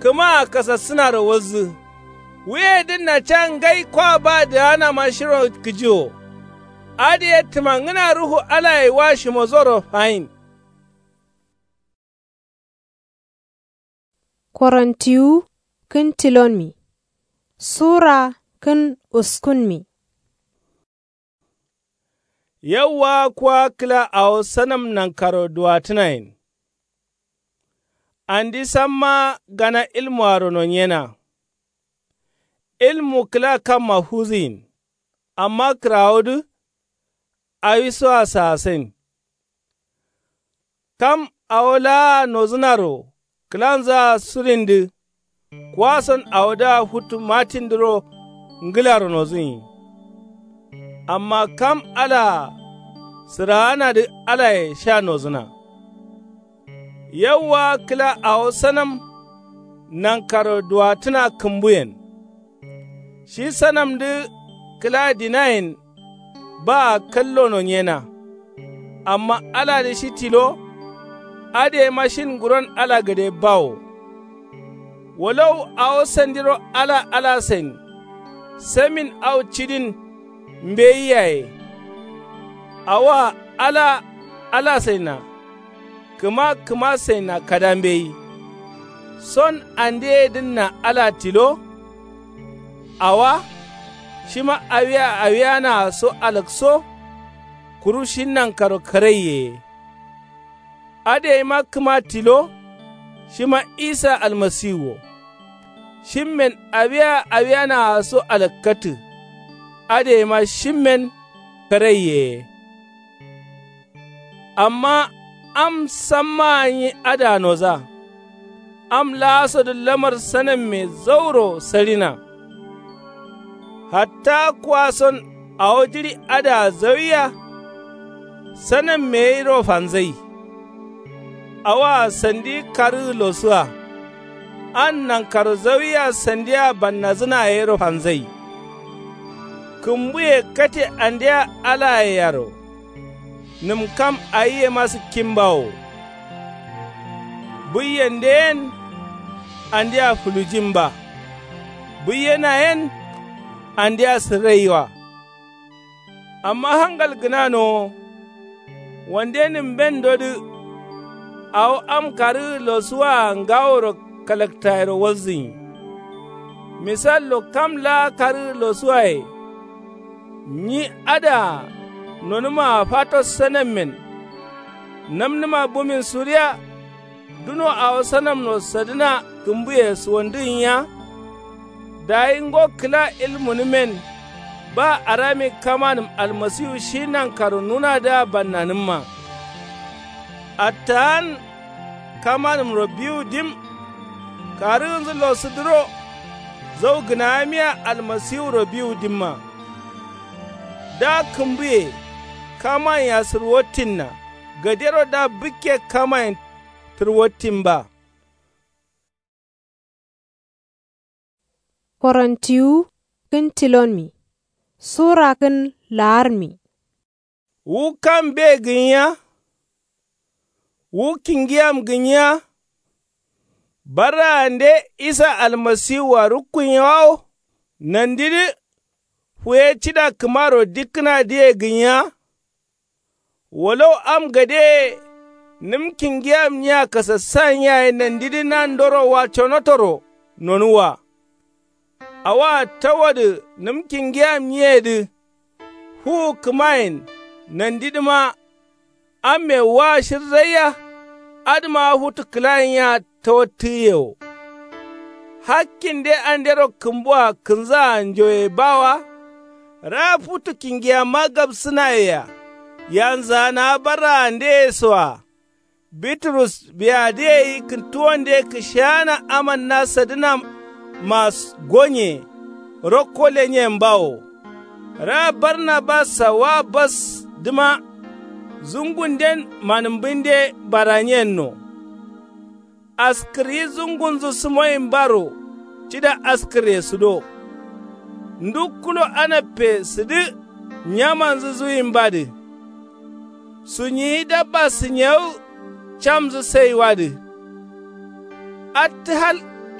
kǝmaa kasassǝnaro walzǝ. Wuyedǝnna ca ngai kwa ba dǝganama shiro kǝji wo. Adǝye tǝmangǝna ruhu alaye wa shimozoro fayin. Korontiwu kǝn tilonmi. Sura kǝn uskunmi. Yauwa kuwa kǝla awo sanam nankaro duwatǝnayen. Andi samma gana ilmuaro nonyena. Ilmu kǝla kamma fuzǝyin. Amma kǝrawodǝ awisoa saasain. Kam awo laa nozǝnaro kǝlanzǝa surindǝ. Kuwason awodǝa futu matindǝro ngǝlaro nozǝnyi. Amma kam alaa sǝraanadǝ alaye sha nozǝna. Yauwa kǝla awo sanam nankaro duwatǝna kǝmbuyen. Shi sanamdǝ kǝla dinayen baa kallo nonyena. Amma aladǝ shi tilo. Adǝ yema shin nguron ala gade bawo. Wolow awo sandiro ala alasain. Samin au cidin mbeyi yaye. Awoa ala alasaina. Kǝma kǝmasaina kada mbeyi. Son andeyedǝnna ala tilo. Awa shima awia awianaa so alakso. Kuru shi nankaro karaiyeye. Adǝ yaima kǝma tilo. Shima isa almasiwu wo. Shimmen awia awianaa so alakkatǝ. Adǝ yaima shimmen karaiyeye. Amma am sammaa nyi adǝa noza. Am laasodǝ lamar sanamme zauro sarina. Hatta kuwason awo jiɍi adǝa zawiya. Sanamme yero fanzai. Awoa sandi karǝgǝ losua. An nankaro zawiya sandia bannazǝna yero fanzai. Kǝmbuye kate andia alayeyaro. Nǝm kam ayiyema sǝkkinbawo. Buiyen de yen andia fulujinba. Buiyena yen andia sǝrraiwa. Amma hangal gǝnanowo. Wande nǝmbendodǝ awo am karǝgǝ losuwaa ngaworo kalaktayero walzǝnyi. Misallo kam laa karǝgǝ losuwaye. Nyi adǝa nonǝmaa fato sanammen. Namnǝma bumin suriya. Duno awo sanamno sadǝna kǝmbuye suwandǝgǝnya. Dayi ngo kǝla ilmunǝmen. Ba arami kamanǝm almasiwu shi nankaro nunadǝa bannanǝmma. Attaan kamanǝmro biwu dim. Karǝgǝnzǝ losudǝro. Zau gǝnagamiya almasiwuro biwu dimma. Da kǝmbuye kamanyea sǝrwattinna. Gadero da bǝkke kamayen tǝrwattinba. Korontiwu kǝn tilonmi. Sura kǝn laarmi. Wu kam be gǝnya? Wu kingiyam gǝnya? Barraande isa almasiwua rukkunya wawo nandidǝ fuye cida kǝmaro dikkǝnadǝye gǝnya? Walau am gadeye nǝm kingiyamnyiya kasassan yaye nandidǝ nandoro wa conotoro nonuwwa. Awoa tawadǝ nǝm kingiyamnyiyedǝ fuwu kǝmayen nandidǝma amme wa shirzaiya. Adǝma futu kǝlayenya tawattǝgǝye wo. Hakkinde andero kǝmbua kǝnzaa njoye bawa. Raa futu kingiyamma gabsǝnayea yanzaanawa barraandeye soa. Biturus biyadǝ gai kǝntuwonde kǝsheana amanna sadǝnama gonye rokko lenyen bawo. Raa barnabassa wa basdǝma zungunden manǝmbǝnde baranyenno. Askǝryi zungunzǝ sǝmoyinbaro cida askǝre sǝdo. Ndu kulo anappe sǝdǝ nyamanzǝ zuwinbadǝ. Sunyiyi dabba sǝnyewu camzǝ saiwadǝ. Attǝ hal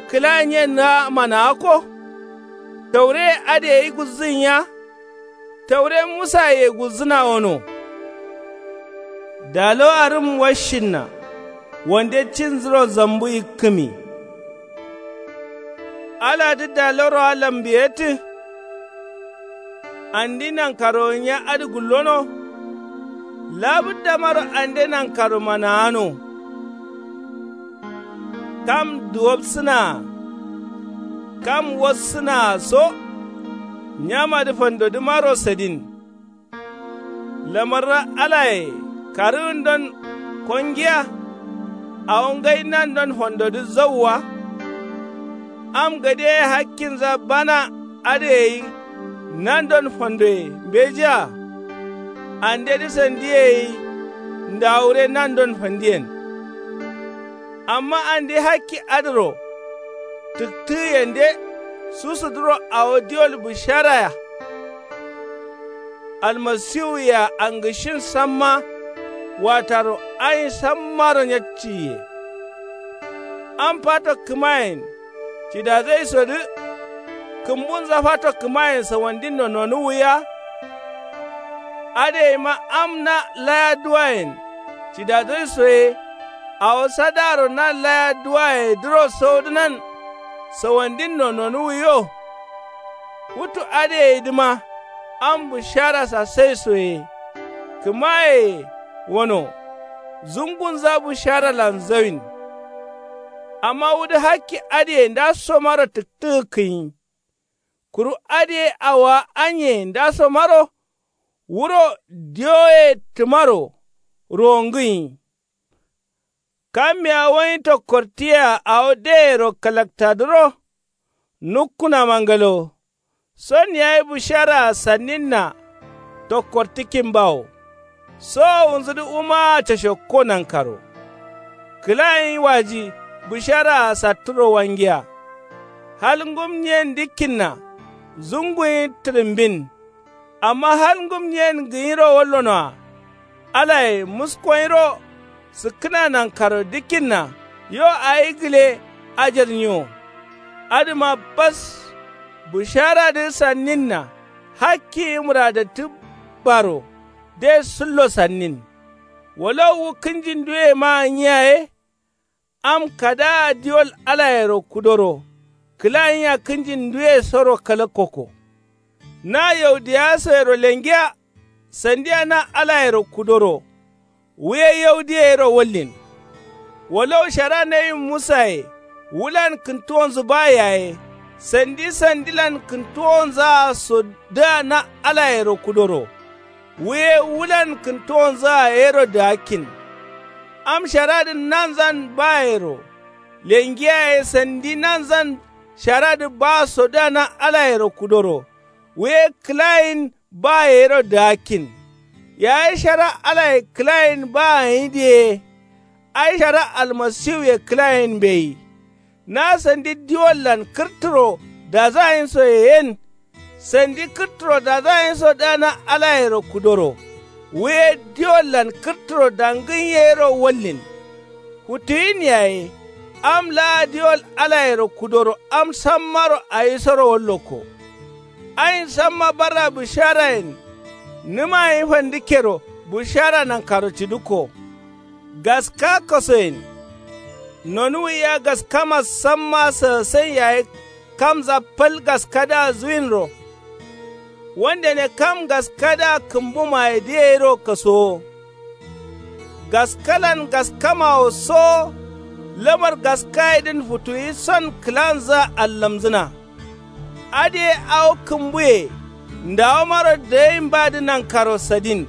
kǝlayinyen manawakko. Taureye adǝ gai gulzǝnya? Taure musaye gulzǝna wono. Dalo arǝm washinna wande cinzǝro zambu yikkǝmi. Aladǝ daloa lambiyetǝ. Andi nankaronya adǝ gullono. Labǝddamaro ande nankaro manawano. Kam duwobsǝnaa kam wassǝnaa so. Nyamadǝ fandodǝmaro sadin. Lamarra alaye karǝgǝndon kongiya. Awo ngai nandon fandodǝ zauwa. Am gade ye hakkinza bana adǝ gai nandon fandoye mbejiya. Andedǝ sandiye gai ndawure nandon fandiyen. Amma andi hakki adǝro tǝktǝgǝyende susuduro awo diwol bǝsharaya. Almasiwuyea angǝshin samma wataro ayin sammaro nyakciye. Am fato kǝmayen cidadzaisodǝ kǝmbunza fato kǝmayen sawandinno nonuwwiya. Adǝ gaima am na laya duwayen cidadzaiso ye. Awo sadaaro na laya duwayedǝro saudǝnan sawandinno nonuwwiyo. Futu adǝ gaidǝma am bǝshara sasaiso ye. Kǝmayeye wono zungunza bǝsharalan zawin. Amma wudǝ hakki adǝye ndasomaro tǝktǝgǝkkǝnyi. Kuru adǝ ye awowa anyeye ndasomaro wuro diwoye tǝmaro ruwongǝnyi. Kammiya wanyi tokkortiyea awo deyero kalaktadǝro nukkunama ngalo. Son yayi bǝsharaa sanninna tokkortǝkkin bawo. Sowowunzudǝ wumaa cashokko nankaro. Kǝlayin waji bǝsharaa satturo wangiya. Hal ngumnyen dikkinna zunguyin tǝrǝmbin. Amma hal ngumnyen gǝnyiro wallonoa. Alaye muskonyiro sǝkkǝna nankaro dǝkkinna yo awi gǝle ajarnyi wo. Adǝma bas bǝsharadǝ sanninna hakki muradattǝ baro de sǝllo sannin. Walau wu kǝnjinduwema gǝnyi yaye. Am kadaa diwol alayero kudoro kǝlayinyiya kǝnjinduwe soro kalakkoko. Na yaudiyasoyero lengiya sandiya na alayero kudoro wuye yaudiye yero wallin. Walau shara nawin musaye wulan kǝntuwonzǝ ba yaye sandi sandilan kǝntuwonzaa sodǝa na alayero kudoro. Wuye wulan kǝntuwonzǝa yero dǝgakkin. Am sharadǝn nanzan bayero lengiya ye sandi nanzan sharadǝ ba sodǝa na alayero kudoro. Wuye kǝlayin ba yero dǝgakkin. Yayi shara alaye kǝlayin ba gǝnyidǝ ye. Ai shara almasiwuye kǝlayin mbeyi. Na sandi diwollan kǝrtǝro Dazayinsoye yen. Sandi kǝrturo dazayinso dǝ na alayero kudoro. Wuye diwollan kǝrturo dangǝn yero wallin. Futuyin yaye. Am laa diwol alayero kudoro am sammaro awisoro wallokko. Ayin samma barra bǝsharayen. Nǝmayin fandǝkkero bǝshara nankaro cidǝkko. Gaska kosoyen. Nonuwuya gaskama samma sǝgǝsen yaye. Kamza fal gaskadǝa zuwinro. Wandene kam gaskadǝa kǝmbumaye dǝ yeyiro kasowo. Gaskalan gaskamawo sowo. Lamar gaskayedǝn futuyi son kǝlanzǝa allamzǝna. Adǝye awo kǝmbuye. Ndawomaro dǝgain badǝ nankaro sadin.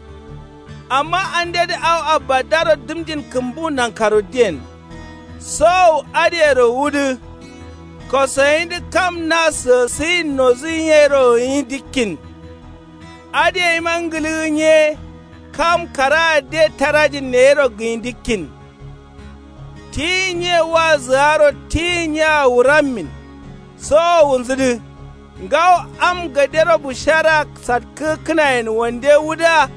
Amma andedǝ awo abbadaro dǝmjin kǝmbu nankaro diyen. Sowowu adǝyero wudǝ. Kosoyindǝ kam na sǝgǝsǝyin nozǝyin yero gǝnyi dikkin. Adǝ yeima ngǝlǝgǝ nye. Kam kara'a de tarajin neyero gǝnyi dikkin. Tiyin nye wa zǝgaro tiyin nyea wurammin. Sowo wunzǝdǝ. Ngawo am gadero bǝshara satkǝgǝkkǝnayen wande wudǝa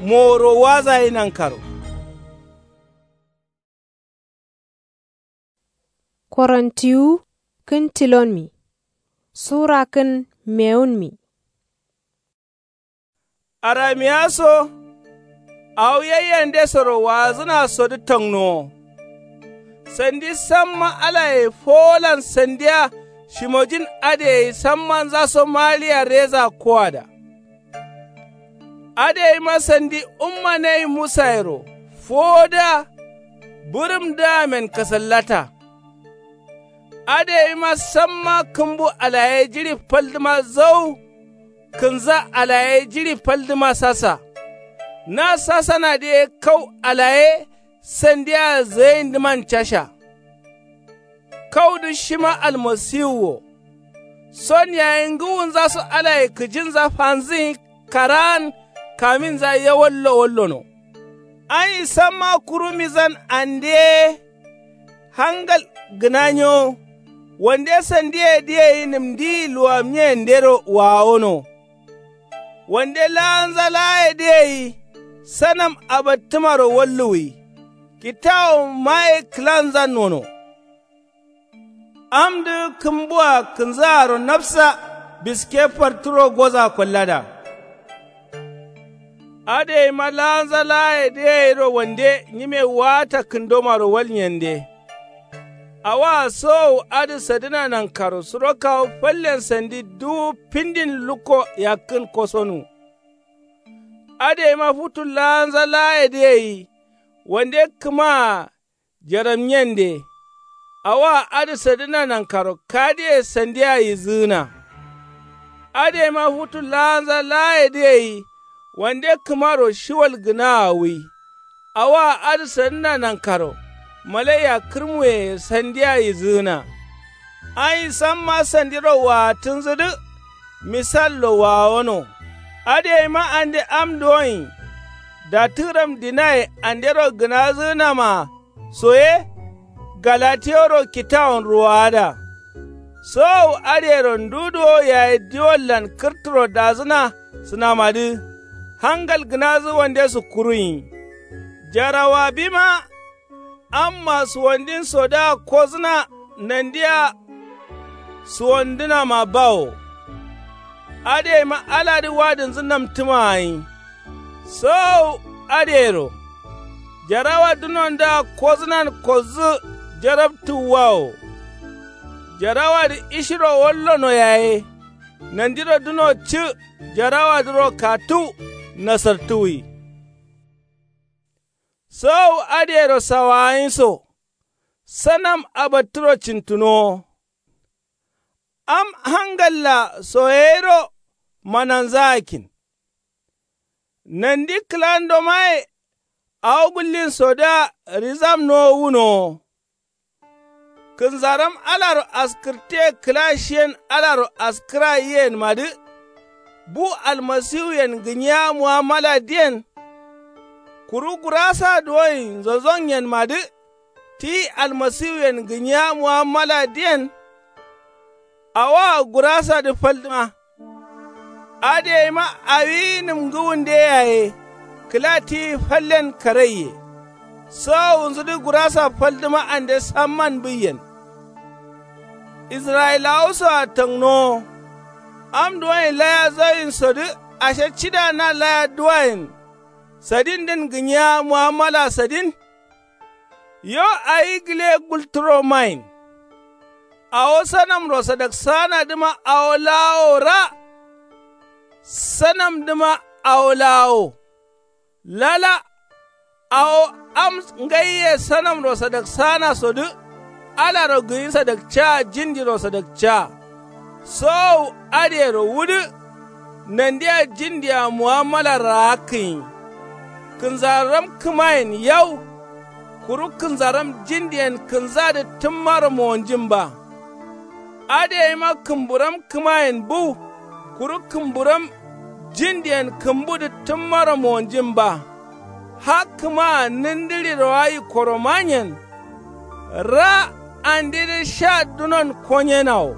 moworo wazayi nankaro. Korontiwu kǝn tilonmi. Sura kǝn mewunmi. Aramiya so. Awo yaiyandesoro waazǝna sodǝ tangnowo. Sandi samma alaye fowolan sandiya shimojin adǝ gai sammanzaso maliya reza kowada. Adǝ gaima sandi umma nayi musayero fowodǝa bǝrǝmdǝamen kasallata. Adǝ gaima samma kǝmbu alaye jiɍi faldǝma zau. Kǝnza alaye jiɍi faldǝma sasa. Na sasanadǝ ye kau alaye sandia zǝgaindǝman casha. Kaudǝ shima almasiwu wo. Son yayi ngǝwunzaso alaye kǝjinza fanzǝgǝnyi karaan kaminza yawallo wallono. Ayi samma kuru mizan ande ye. Hangal gǝna nyo. Wande sandiye dǝ gai nǝmdiyi luwamnyiyendero wawono. Wande laanza laaye dǝ gai sanam abattǝmaro walluwwi. Kitawo maye kǝlanzan nono. Amdǝ kǝmbua kǝnzaaro nafsa biske farturo goza kollada. Adǝ gaima laanza laaye dǝ gairo wande nyime waata kǝndomaro walnyende. Awoa sowowu adǝ sadǝna nankaro suro kawu fallen sandi duwu findin lukko yakkǝn kosonu. Adǝ gaima futu laanza laaye dǝ gai wande kǝmaa jaramnyende. Awoa adǝ sadǝna nankaro kadiye sandia yidzǝgǝna. Adǝ gaima futu laanza laaye dǝ gai wande kǝmaro shiwal gǝnaa wi. Awoa adǝ sadǝna nankaro malaiya kǝrmuye sandia yidzǝgǝna. Ayi samma sandiro waatǝnzǝdǝ. Misallo wawono. Adǝ gaima ande am duwonyi. Dattǝgǝram dinaye andero gǝnadzǝgǝnamaa. Soye. Galatiyoro kitawon ruwowada. Sowowu adǝyero ndu duwo yayi diwollan kǝrturo dadzǝna sǝnamadǝ. Hangal gǝnadzǝ wande sukkuruyi. Jarawabima. Amma suwandin sodǝa kodzǝna nandia. Suwandǝnama bawo. Adǝ gaima aladǝ wadǝnzǝ namtǝma gai. Sowowu adǝyero. Jarawa dunondǝa kodzǝnan kodzǝ jarabtǝwwa wo. Jarawadǝ ishiro wallono yaye. Nandiro duno cǝ jarawadǝro katǝw. Nasartǝwwi. Sowowu adǝyero sawayin so. Sanam abattǝro cintǝnowo. Am hangalla soyeyiro mananzagakkin. Nandi kǝlandomaye. Awo gullinsodǝa rizamnowo wunowo. Kǝnzaram alaro askǝrtiye kǝla shiyen alaro askǝra yiyenmadǝ. Bu almasiwuyen gǝnyiya mu'amala diyen. Kuru gurasa duwonyi nzonzonyenmadǝ. Ti almasiwuyen gǝnyiya mu'amala diyen. Awoa gurasadǝ faldǝma. Adǝ yaima awi nǝmgǝwunde yaye kǝla tiyi fallen karaiye. Sowowunzudǝ gurasa faldǝma ande samman bǝiyen. Israyilawosoa tangnowo. Am duwonye laya zawinsodǝ ashe cida na laya duwayen sadindǝn gǝnyiya muammala sadin. Yo awi gǝle gultǝro mayin. Awo sanamro sadaksaanadǝma awo laawo ra. Sanamdǝma awo laawo lala. Awo am ngaiye sanamro sadaksaanasodǝ alaro gǝnyi sadakca jindiro sadakca. Sowowu adǝyero wudǝ. Nandia jindea muammala raakkǝnyi. Kǝnzaram kǝmayen yau. Kuru kǝnzaram jindiyen kǝnzadǝ tǝmmaro mowonjin ba. Adǝ yaima kǝmburam kǝmayen bu. Kuru kǝmburam jindiyen kǝmbudǝ tǝmmaro mowonjin ba. Hakkǝmaa nǝndǝɍiro ayi koromanyen. Ra andidǝ sha dunon konyenawo.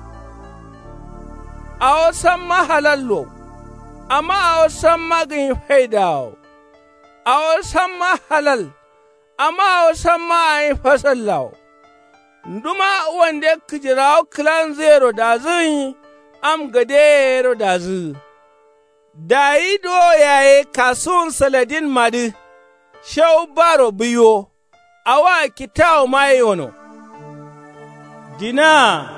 Awo samma halallo. Amma awo samma gǝnyi faidawo. Awo samma halal. Amma awo samma ayi fasallawo. Nduma wande kǝjirawo kǝlanzǝyero dazǝgǝnyi. Am gadeyeyero dazǝgǝ. Dayi duwo yaye kasuwun saladinmadǝ. Shewu baro bǝiwo. Awoa kitawoma ye yono. Dinaa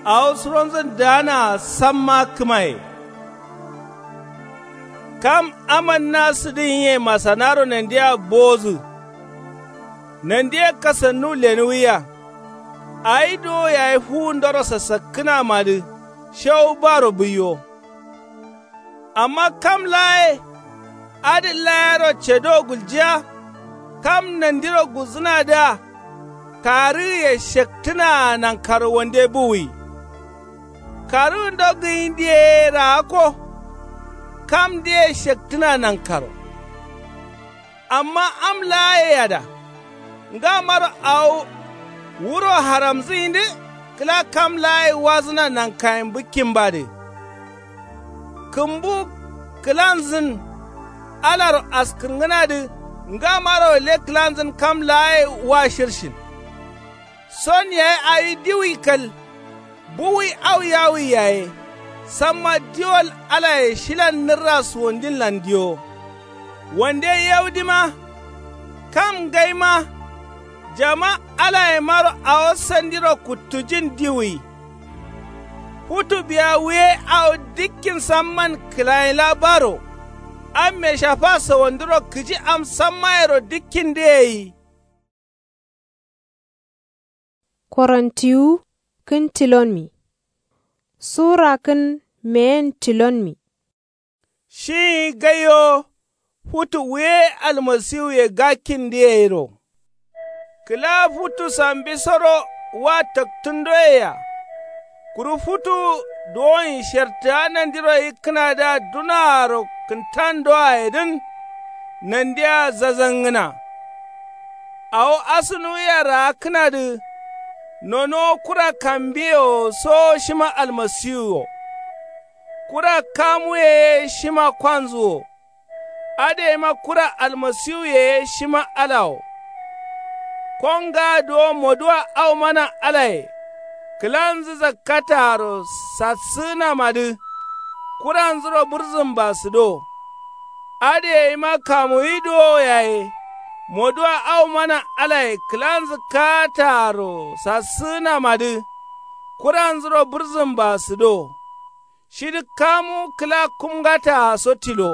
awo suronzǝn daanaa samma kǝmaye. Kam amanna sǝdǝnyiye masanaro nandia bowozǝ. Nandiye kasannu lenuwiya. Awi duwo yayi fuwundoro sasakkǝnamadǝ. Shewu baro bǝiwo. Amma kam laaye adǝ layero cedo guljiya. Kam nandiro gulzǝnadǝa karǝgǝye shektǝnaa nankaro wande buwuyi. Karǝgǝndo gǝnyidǝ ye raakko. Kamdǝye shektǝna nankaro. Amma am laayeyada. Ngamaro awo wuro haramzǝyindǝ kǝla kam laaye wazǝna nankayen bǝkkimbadǝ. Kǝmbu kǝlanzǝn alaro askǝrngǝnadǝ. Ngamaro gǝle kǝlanzǝn kam laaye wa shirshin. Son yayi awi diwui kal. Buwui au yawui yaye. Samma diwol alaye shilan nǝrra suwondinlan diwo. Wande yaudima. Kam ngaima. Jama alayemaro awo sandiro kuttujin diwui. Futu biya wuye awo dikkin samman kǝlayinla baro. Amme shafa sawandiro kǝji am sammayero dikkindǝ yeyi. Korontiwu kǝn tilonmi. Sura kǝn meyen tilonmi. Shiyi gaiwo. Futu wuye almasiwuye gakkindǝ yeyiro. Kǝla futu sambisoro wa taktǝndoyea. Kuru futu duwonyi shertǝa nandiro yikkǝnadǝa dunaaro kǝntandoayedǝn. Nandia zazangǝna. Awo asǝnuwia raakkǝnadǝ. Nonowo kura kambiye wo sowo shima almasiwu wo. Kura kamuye ye shima kwanzǝ wo. Adǝyeima kura almasiwuye ye shima ala wo. Kongaa duwo moduwa au mana alaye. Kǝlanzǝ zakkataaro sassǝgǝnamadǝ. Kuranzuro bǝrzǝmba sǝdo. Adǝyeima kamuwi duwo yaye. Moduwa au mana alaye kǝlanzǝ kaataaro sassǝgǝnamadǝ. Kuranzuro bǝrzǝmba sǝdo. Shidǝ kamu kǝla kumngataa so tilo.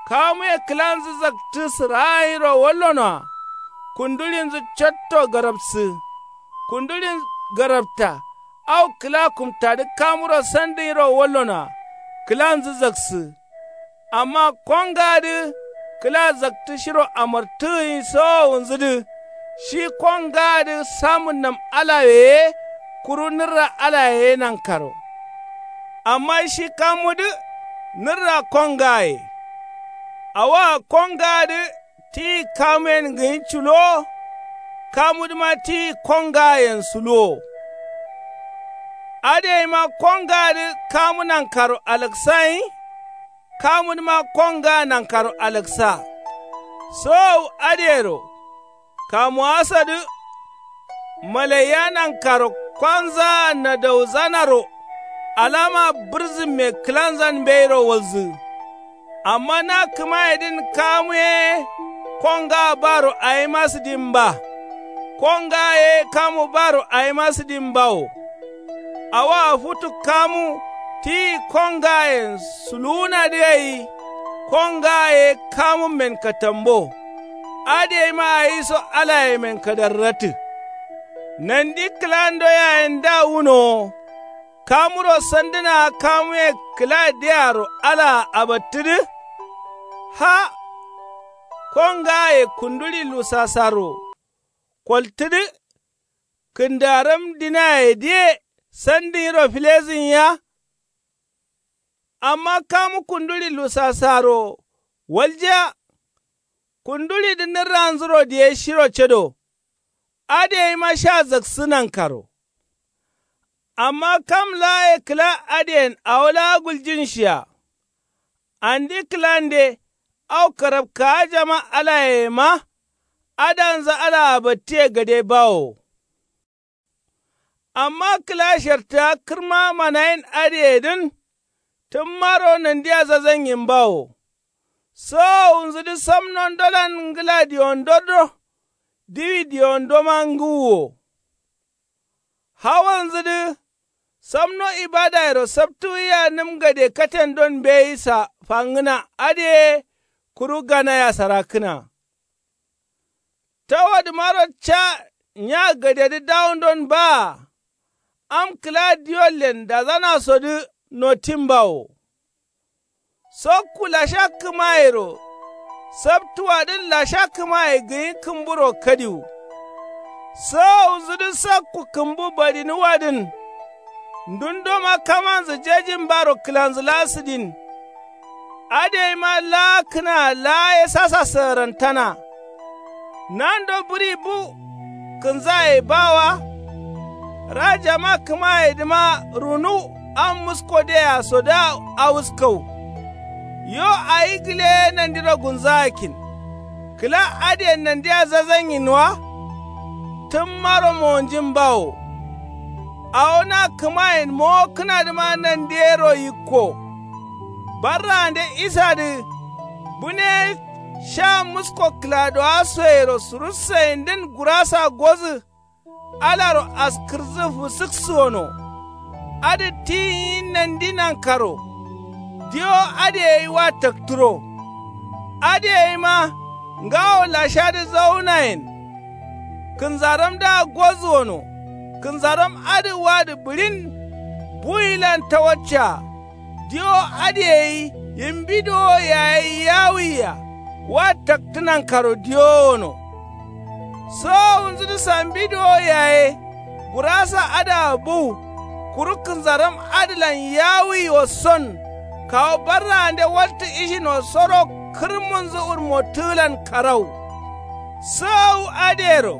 Kamuye kǝlanzǝ zaktǝ sǝraagǝnyiro wallonoa. Kunduɍinzǝ cotto garapsǝ. Kunduɍin garapta. Au kǝla kumtadǝ kamuro sandǝnyiro wallonoa. Kǝlanzǝ zaksǝ. Amma kongaadǝ kǝla zaktǝ shiro amartǝgǝnyi sowowunzudǝ. Shi kongaadǝ samǝnnam alawe ye. Kuru nǝrra alaye ye nankaro. Amma shi kamudǝ nǝrra kongaaye. Awoa kongaadǝ tiyi kamuyen gǝnyi culuwo. Kamudǝma tiyi kongaayen suluwo. Adǝ yeima kongaadǝ kamu nankaro alaksayin. Kamudǝma kongaa nankaro alaksa. Sowowu adǝyero kamuwasadǝ malaiya nankaro kwanzaa nadauzanaro alama bǝrzǝmme kǝlanzan mbeiro walzǝ. Amma na kǝmayedǝn kamu ye kongaa baro awima sǝdin ba. Kongaa ye kamu baro awima sǝdin bawo. Awoa futu kamu tiyi kongaayen suluwunadǝ gai. Kongaa ye kamummen katambo. Adǝ yeima awiso alayemen kadarratǝ. Nandi kǝlando yayen da wunowo. Kamuro sandǝnaa kamuye kǝla diaro alaa abattǝdǝ. Ha. Kongaaye kunduli lusasaro koltǝdǝ. Kǝndaram dinaye diye sandǝnyiro filezǝnyiya. Amma kamu kunduli lusasaro waljiya. Kundulidǝ nǝrranzuro diye shiro cado. Adǝ yeima sha zaksǝ nankaro. Amma kam laaye kǝla adǝyen awo laa guljinshiya. Andi kǝlande au karabkajama alayema. Adanzǝ alaa battiye gade bawo. Amma kǝla shartǝga kǝrma manayin adǝyedǝn. Tǝmmaro nandiya zazanyin bawo. Sowowunzudǝ samno ndolan ngǝla diwondoddo. Diwi diwondoma ngǝwuwo. Hawalnzudǝ samno ibadayero saptǝwiya nǝm gade katendon mbeyi sa fangǝna adǝ ye. Kuru ganaya sarakkǝna. Tawadǝmaro ca nya gadedǝ dawundon baa. Am kǝla diwollen dazanasodǝ notin bawo. Sokku lasha kǝmayero. Saptuwadǝn lasha kǝmaye gǝnyi kǝmburo kadiwu. Sowowunzudǝ sokku kǝmbu badinǝwadǝn. Ndundoma kamanzǝ jejin baro kǝlanzǝ laa sǝdin. Adǝ yeima laa kǝnaa laa ye sasa sǝgǝrantana. Nando bǝri bu kǝnzaye ba wa. Rajama kǝmayedǝma runu am musko deya sodǝa awuskau. Yo awi gǝle nandiro gunzagakkin. Kǝla adǝyen nandia zazanyin wa. Tǝmmaro monjin bawo. Awo na kǝmayen mowokkǝnadǝma nandiyero yikko. Barraande isadǝ bune sha musko kǝladowasoyero surussayindǝn gurasa gozǝ. Alaro askǝrzu fǝsǝksuwono. Adǝ tiyin nandi nankaro. Diwo adǝ gai wa takturo. Adǝ gaima ngawo lashadǝ zaunayen. Kǝnzaramdǝa gozuwono. Kǝnzaram adǝ wadǝ bǝɍin. Buwilan tawaccaa. Diwo adǝ gai yimbi dowo yaye yawuiya. Wa taktǝ nankaro diwowono. Sowowunzudǝ sambi dowo yaye. Gurasa adǝa buwu. Kuru kǝnzaram adǝlan yawuiwo son. Kawu barraande waltǝ ishino soro kǝrmunzǝ wurmottǝgǝlan karau. Sowowu adǝyero.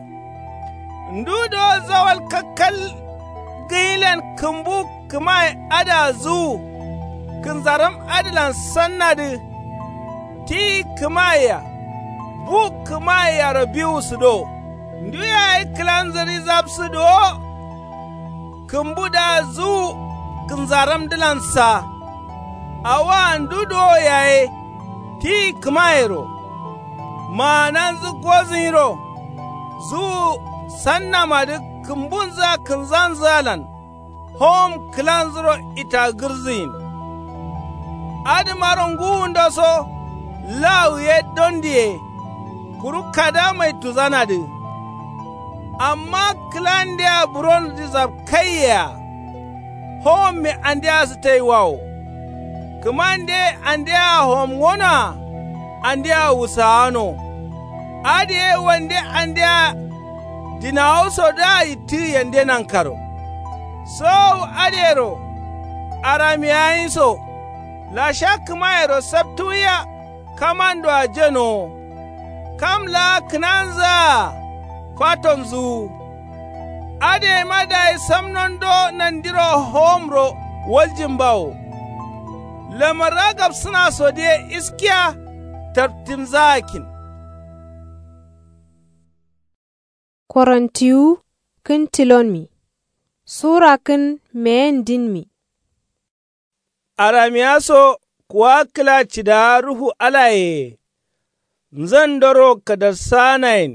Ndu dowo zawal kakkal gǝnyilan kǝmbu kǝmaye adǝa zuwu. Kǝnzaram adǝlan sannadǝ. Tiyi kǝmayea. Bu kǝmayeyaro biwu sǝdo. Ndu yaye kǝlanzǝ rizabsǝ dowo. Kǝmbudǝa zuwu kǝnzaramdǝlan sa. Awoa ndu dowo yaye. Tiyi kǝmayero. Maananzǝ gozǝnyiro. Zuwu sannamadǝ kǝmbunzǝa kǝnzanzǝalan. Howom kǝlanzuro itagǝrzuyin. Adǝmaro ngǝwundoso. Lawu ye dondi ye. Kuru kada maituzanadǝ. Amma kǝlandea buron rizabkaiyea. Howomme andea sǝtaiwawo. Kǝmande andea howom ngonoa. Andea wusawano. Adǝ ye wande andea dinawusodǝa yittǝ yande nankaro. Sowowu adǝyero. Aramiyayinso. Lasha kǝmayero saptǝwiya. Kamandoa jenowo. Kam laa kǝnanzǝa. Fatonzǝwu. Adǝ yaima dayi samnondo nandiro howomro waljin bawo. Lamarra gabsǝnasodǝ ye iskiya. Tartǝmzaakin. Korontiwu kǝn tilonmi. Sura kǝn meyendinmi. Aramiya so kuwa kǝla cidawa ruhu alayeye. Nzandoro kadarsaanayen.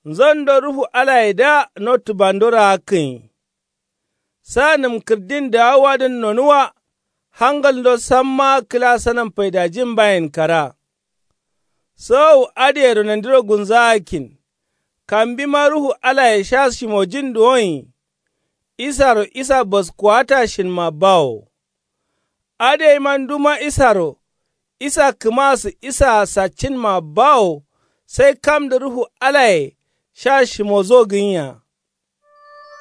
Nzando ruhu alayedǝa notǝbando raakkǝnyi. Sa nǝmkǝrdin dawawadǝn nonuwa. Hangalndo sammaa kǝla sanam faidajin bayen kara. Sowowu adǝyero nandiro gunzagakkin. Kambima ruhu alaye sha shimojin duwonyi. Isaro isa baskuwata shinma bawo. Adǝ yaima nduma isaro isa kǝmasǝ isaa saccinma bawo. Sai kamdǝ ruhu alaye sha shimozo gǝnyiya.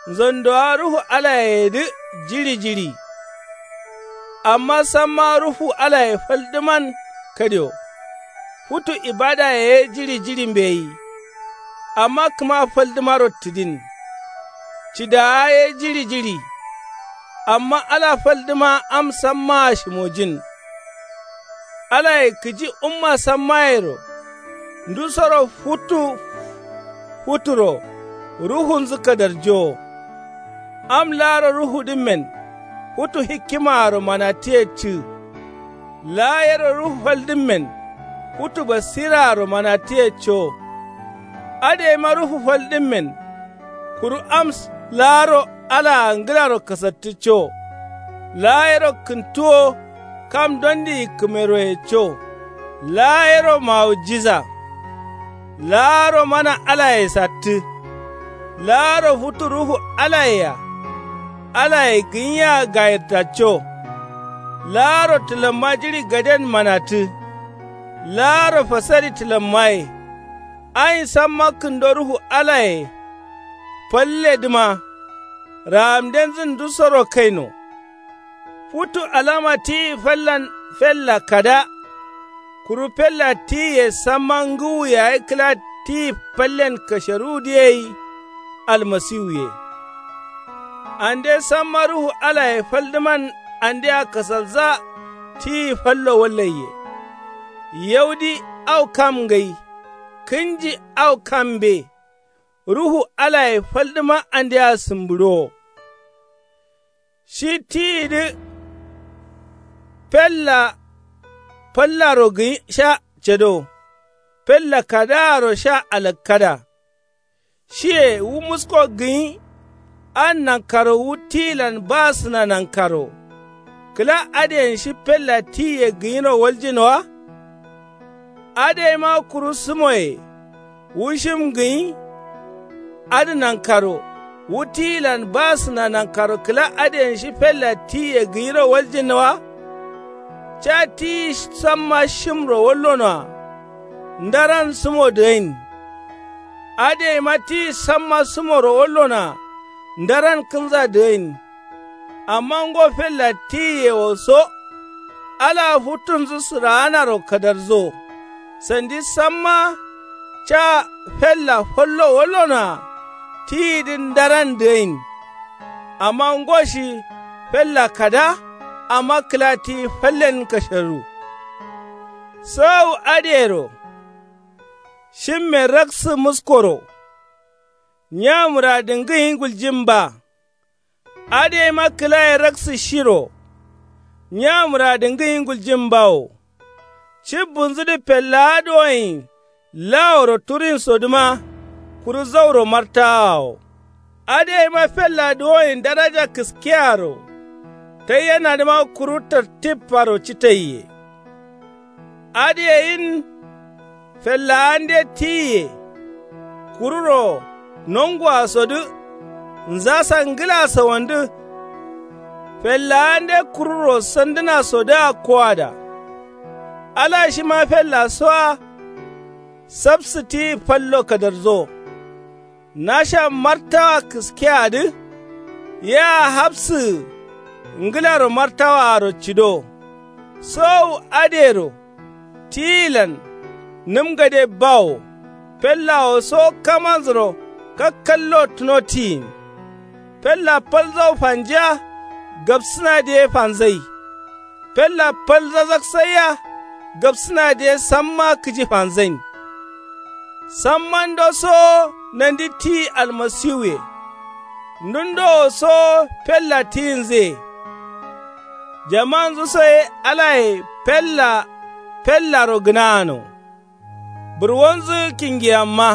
Nzandowa ruhu alayeyedǝ jiɍi jiɍi. Amma samma ruhu alaye faldǝman kadio. Futu ibadaye ye jiɍi jiɍi mbeyi. Amma kǝma faldǝmaro tǝdin. Cidawa ye jiɍi jiɍi. Amma ala faldǝma am sammaa shimojin. Alaye kǝji umma sammayero. Ndusoro futu futuro ruhunzǝ kadarjowo. Am laaro ruhudǝmmen futu hikkimaaro manatǝye cǝ. Laa yero ruhu faldǝmmen futu basiraaro manatǝye cowo. Adǝ yaima ruhu faldǝmmen kuru am laaro alaa ngǝlaro kasattǝ cowo. Laa yero kǝntu wo kam dondi yikkǝmeroye co. Laa yero mawujiza. Laaro mana alaye sattǝ. Laaro futu ruhu alaye-a alaye gǝnyiya gayirtacco. Laaro tǝlamma jiɍi gaden manatǝ. Laaro fasari tǝlammaye. Ayin samma kǝndo ruhu alaye. Falledǝma raamdenzǝn ndusoro kaino. Futu alama tiyi fallan fella kada. Kuru fella tiyiye samma ngǝwu yayi kǝla tiyi fallen kasheruwudǝ yei. Almasiwuye. Ande samma ruhu alaye faldǝman andea kasalza. Tiyi fallo wallaiye. Yaudi au kam ngai. Kǝnji au kam mbe. Ruhu alaye faldǝma andea sǝmbǝɍowo. Shi tiyidǝ fella fallaro gǝnyi sha cado. Fella kadaaro sha alakkada. Shiye wu musko gǝnyi. An nankaro wu tiyilan basǝna nankaro. Kǝla adǝyen shi fella tiyiye gǝnyiro waljin wa. Adǝ yaima kuru sǝmoye wu shim gǝnyi. Adǝ nankaro wu tiyilan basǝna nankaro kǝla adǝyen shi fella tiyiye gǝnyiro waljin wa. Ca tiyi samma shimro wallonoa. Ndaran sǝmo dǝgain. Adǝ yaima tiyi samma sǝmoro wallonoa. Ndaran kǝnza dǝgain. Amma ngo fella tiyiyewo so. Alaa futunzǝ sǝraanaro kadarzo. Sandi samma ca fella fallo wallonoa. Tiyidǝ ndaran dǝgain. Amma ngo shi fella kada. Amma kǝla tiyi fallen kasheru. Sowowu adǝyero. Shimme raksǝ muskoro. Nya mǝradǝ ngǝnyi guljin ba. Adǝ yaima kǝlaye raksǝ shiro. Nya mǝradǝ ngǝnyi guljin bawo. Cibbunzudǝ fellawa duwoyin laworo turinsodǝma. Kuru zauro martawawo. Adǝ yaima fella duwoyin daraja kǝskeyaro. Taiyenadǝma kuru tartiffaro citaiye. Adǝ yeyin fellawande tiyiye. Kururo nonguwasodǝ. Nzasa ngǝla sawandǝ. Fellawande kururo sandǝnasodǝa kowada. Ala shima fellasoa. Sabsǝ tiyi fallo kadarzo. Nasha martawa kǝskeadǝ. Yea hapsǝgǝ ngǝlaro martawaaro cido. Sowowu adǝyero. Tiyilan nǝm gade bawo. Fellawo so kamanzuro. kakkallo tuno tiyin. Fella fal zau fanjiya gabsǝnadǝ ye fanzai. Fella fal zazaksaiya gabsǝnadǝ ye samma kǝji fanzain. Sammando sowo nandi tiyi almasiwuye. Ndundo wo sowo fella tiyinzǝye. Jamanzǝ so ye alaye fella fellaro gǝnaano. Burwonzǝ kingiyamma.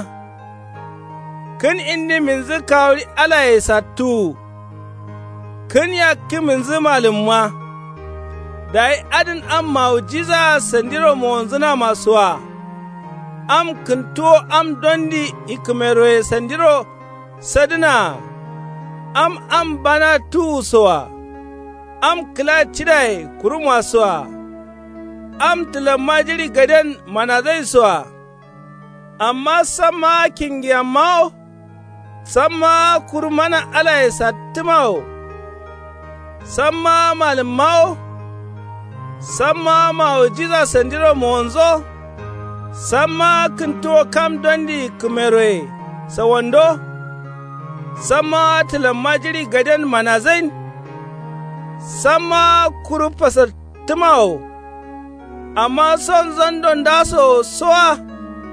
Kǝn indiminzǝ kawuri alaye sattuwu. Kǝn yakkiminzǝ malǝmma. Dayi adǝn am mawujizaa sandiro mowonzǝnama soa. Am kǝntuwo am dondi ikkǝmeroye sandiro sadǝnaa. Am am bana tuwusoa. Am kǝla cidaye kurumasoa. Am tǝlamma jiɍi gaden manazaisoa. Amma sammaa kingiyammawo. Sammaa kuru mana alaye sattǝmawo. Sammaa malǝmmawo. Sammaa mawujiza sandiro mowonzo. Sammaa kǝntuwo kam dondi ikkǝmeroye sawando. Sammaa tǝlamma jiɍi gaden manazain. Sammaa kuru fasattǝmawo. Amma son zando ndasowo soa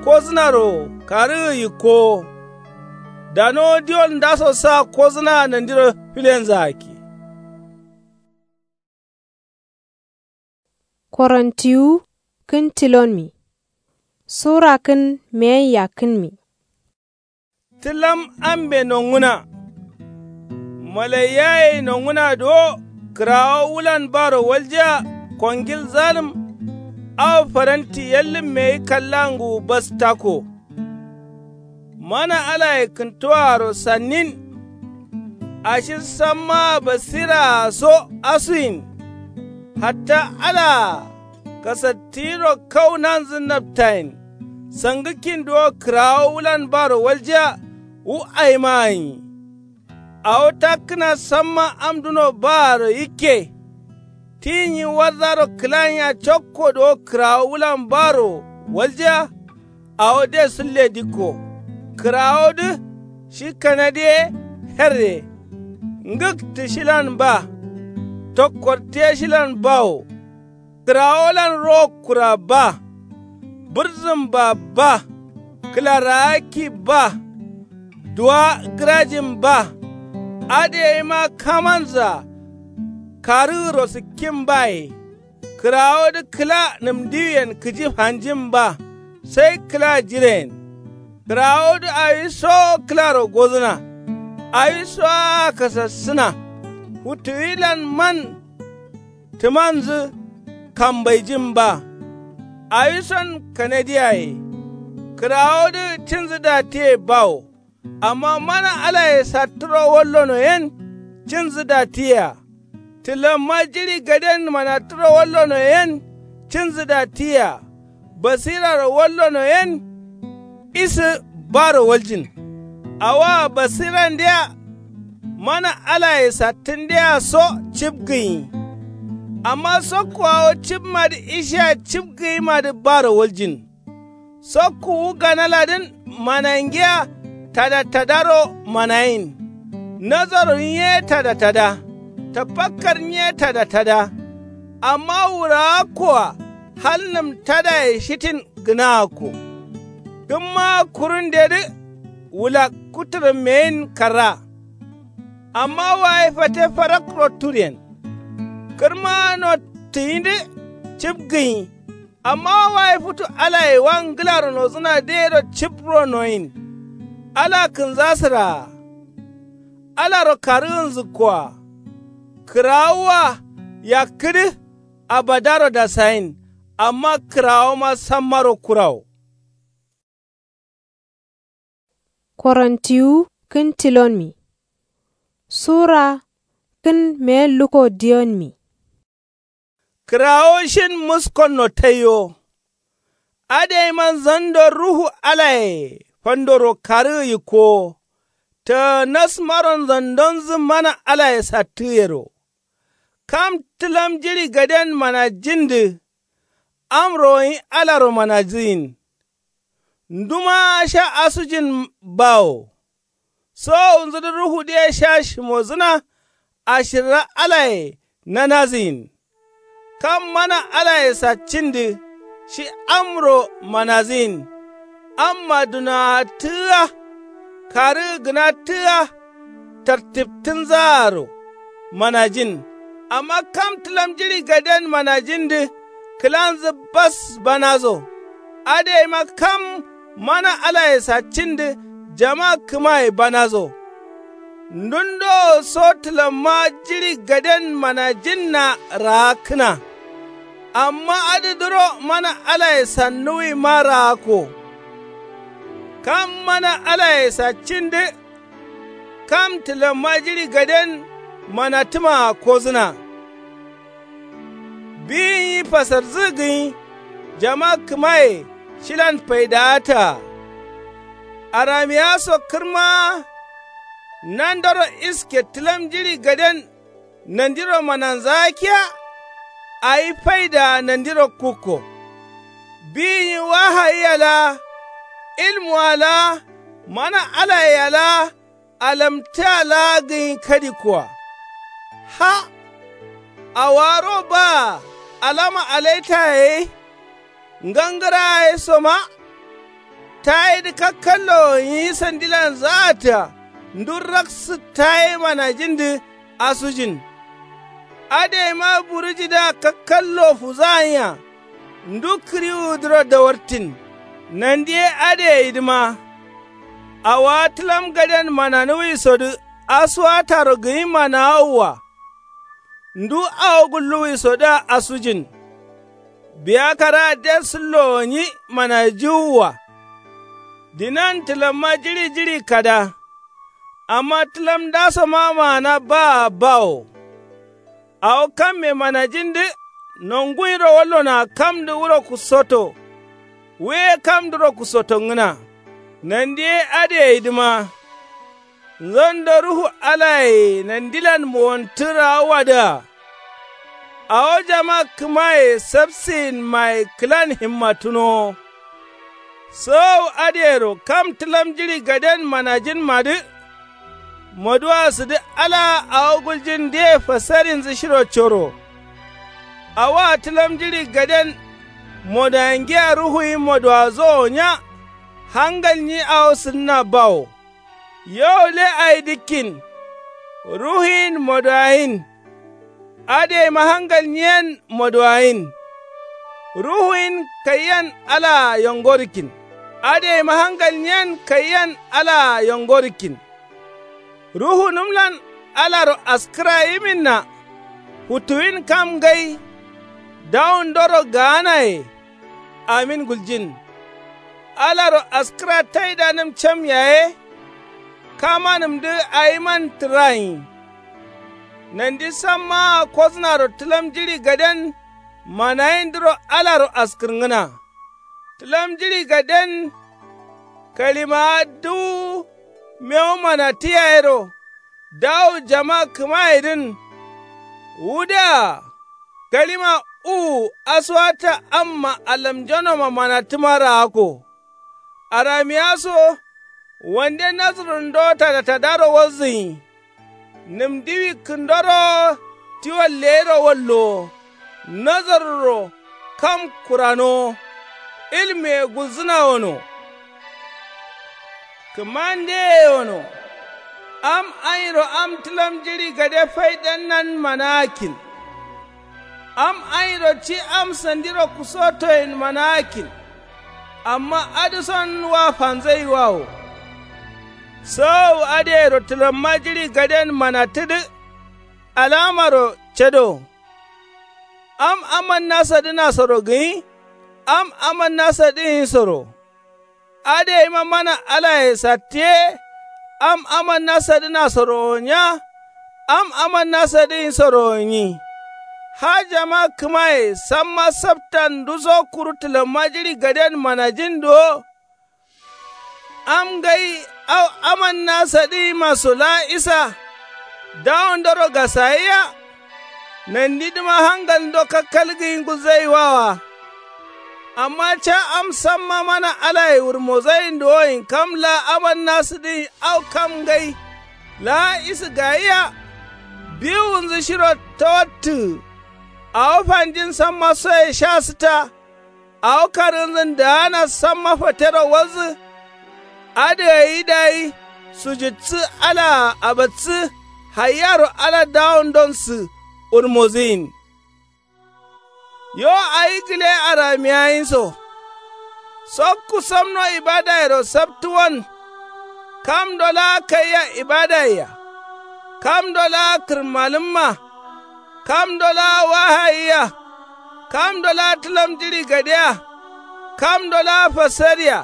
kozǝnaro karǝgǝ yikkowo. Danowo diwol ndaso sa kozǝnaa nandiro filenzǝ akke. Korontiwu kǝn tilonmi. Sura kǝn meyen yakkǝnmi. Tǝlam ambe nonguna. Malaiyaye nonguna duwo kǝrawo wulan baro waljiya. Kongil zalǝm. Awo faranti yallǝmmeyi kallanguwu bas takko. Mana alaye kǝntuwaaro sannin. Ashi sammaa basiraa so asuyin. Hatta alaa kasattǝyiro kau nanzǝ naptayin. Sangǝkkin duwo kǝrawo wulan baro waljiya. Wu aima gǝnyi. Awo takkǝna samma am duno baaro yikke. Ti nyi warzaro kǝlanya cokko duwo kǝrawo wulan baaro waljiya. Awo de sulle dikko. Kǝrawodǝ shi kanadi ye herre. Ngǝktǝ shilan ba. Tokkortǝ ye shilan bawo. Kǝrawolan ro kura ba. Bǝrzǝmba ba. Kǝlaraakki ba. Duwa gǝrajin ba. Adǝ yeima kamanzǝa. Karǝgǝro sǝkkin baye. Kǝrawodǝ kǝla nǝmdiwiyen kǝji fanjin ba. Sai kǝla jireyen. Kǝrawodǝ awi sowo kǝlaro gozǝna. Awi sowoa kasassǝna. Futuwilan man. Tǝmanzǝ kambaijin ba. Awison kanadiyaye. Kǝrawodǝ cinzǝ datiye bawo. Amma mana alaye sattǝro wallono yen. Cinzǝ datiyea. Tǝlamma jiɍi gaden manattǝro wallono yen. Cinzǝ datiyea. Basiraro wallono yen. Isǝ baro waljin. Awoa basirandea. Mana alaye sattǝndea so cibgǝnyi. Amma sokkoawo cibmadǝ ishea cibgǝnyimadǝ baro waljin. Sokku wu ganaladǝn manangiya. Tadatadaro manayin. Nazaro nyiye tadatada. Tafakkar nyiye tadatada. Amma wuraakkoa hal nǝm tadaye shitin gǝnaakko. Kǝmmaa kurundedǝ wulak kutǝrǝmmeyin karra. Amma waye fate farakro turyen. Kǝrma nottǝyindǝ cibgǝnyi. Amma waye futu alaye wa ngǝlaro nozǝna dero cibro noyin. Ala kǝnzasǝraa. Alaro karǝgǝnzǝkkoa. Kǝrawoa yakkǝdǝ. Abadaro dasayin. Amma kǝrawoma sammaro kurawo. Korontiwu kǝn tilonmi. Sura kǝn meyen luko diyonmi. Kǝrawo shin muskonno taiwo. Adǝ yaiman zando ruhu alaye fandoro karǝgǝ yikkowo. Tǝ nasmaron zandonzǝ mana alaye sattǝgǝyero. Kam tǝlam jiɍi gaden manajindǝ. Amro gǝnyi alaro manajǝgǝyin. Nduma sha asujin bawo. Sowowunzudǝ ruhudǝye sha shimozǝna. Ashirra alaye nanazǝyin. Kam mana alaye saccindǝ shi amro manazǝyin. Amma dunaattǝgǝa karǝgǝnattǝgǝa tartibtǝnzaaro manajin. Amma kam tǝlam jiɍi gaden manajindǝ kǝlanzǝ bas banazo. Adǝ yaima kam mana alaye saccindǝ jama kǝmaye banazo. Ndundo wo so tǝlamma jiɍi gaden manajinna raakkǝna. Amma adǝ duro mana alaye sannuwima raakko. Kam mana alaye saccindǝ kam tǝlamma jiɍi gaden manatǝmaa kozǝna. Biyin yi fasarzu gǝnyi jama kǝmaye shilan faidaataa. Aramiya so kǝrmaa nandoro iske tǝlam jiɍi gaden nandiro mananzaa kiya. Awi faidaa nandiro kukko. Biyin yi wahayia laa ilmua laa mana alayea laa alamtǝa laa gǝnyi kadikkoa. Ha. Awaro baa alama alaitaye ye ngangǝraa ye soma. Tayedǝ kakkallo nyi sandilan zaatǝa ndu raksǝ taye manajindǝ asujin. Adǝ yaima burujidǝa kakkallo fuzaanya. Ndu kǝriwudǝro dawartin. Nandi ye adǝ yeyidǝma. Awowa tǝlam gaden mananuwisodǝ asuwataro gǝnyi manawowwa. Ndu awo gulluwisodǝa asujin. Biya karaa de sǝllowo nyi manajiwuwwa. Dinan tǝlamma jiɍi jiɍi kada. Amma tǝlam ndasoma maana baa bawo. Awo kamme manajindǝ nongunyiro wallonoa kamdǝ wuro kusoto. Wu ye kamdǝro kusotongǝna. Nandi ye adǝ yeyidǝma. Nzondo ruhu alaye nandilan mowontǝ raawwadǝa. Awo jama kǝmaye sapsǝyinmaye kǝlan himmatǝnowo. Sowowu adǝyero kam tǝlam jiɍi gaden manajinmadǝ. Moduwa sǝdǝ alaa awo guljin ndǝye fasarinzǝ shiro coro. Awoa tǝlam jiɍi gaden modoyingiya ruhuyin modowazowo nya. Hangal nyi awo sǝdǝna bawo. Yo le ayi dǝkkin. Ruhuyin modowayin. Adǝ yaima hangal nyiyen modowayin. Ruhuyin kaiyen alaa yongorǝkkin. Adǝ yaima hangal nyiyen kaiyen alaa yongorǝkkin. Ruhunǝmlan alaro askǝra yiminna. Futuwin kam ngai. Dawundoro gaanaye. Amin guljin. Alaro askǝra taidanǝm cam yaye. Kamanǝmdǝ awiman tǝrayin. Nandi sammaa kosnaro tǝlam jiɍi gaden manayindǝro alaro askǝrngǝna. Tǝlam jiɍi gaden kalimaa duwu mewu manatǝ yayero. Dawu jama kǝmayedǝn. Wudǝa kalima uwu asuwata amma alamjonoma manatǝma raakko. Aramiya so wande nazǝrundo tada tadaro walzǝnyi. Nǝmdiwi kǝndoro tiwal leyiro wallowo. Nazaruro kam kuranowo. Ilmuye gulzǝna wono. Kǝmandeye wono. Am anyiro am tǝlam jiɍi gade faidannan managakkin. Am anyiro ci am sandiro kusotoyen managakkin. Amma adǝson wa fanzaiwa wo. Sowowu adǝyero tǝlamma jiɍi gaden manattǝdǝ. Alamaro cado. Am amanna sadǝnasoro gǝnyi. Am amanna sadǝnyinsoro. Adǝ yaima mana alaye sattǝ ye. Am amanna sadǝnasoro wo nya. Am amanna sadǝnyinsoro wo nyi. Ha jama kǝmaye samma saptan nduso kuru tǝlamma jiɍi gaden manajin duwo. Am ngai au amanna sadǝnyimaso laa isa. Dawondoro gasayiya. Nandidǝma hangalndo kakkalgǝyi ngulzaiwawa. Amma ca am samma mana alaye wurmozayin duwoyin kam laa amanna sǝdǝyin au kam ngai laa isǝ gayia. Biwunzǝ shiro tawattǝgǝ awo fanjin samma soye sha sǝta. Awo karǝnzǝn daana samma fatero walzǝ. Adǝ gai dayi sujutsǝ alaa abatsǝ. Haiyaro ala dawondonsǝ wurmozǝyin. Yo awi gǝle aramiyayinso. Sokku samno ibadayero saptuwon. Kamdo laa kaiya ibadayea. Kamdo laa kǝrmalǝmma. Kamdo laa wahayia. Kamdo laa tǝlam jiɍi gadea. Kamdo laa fasaria.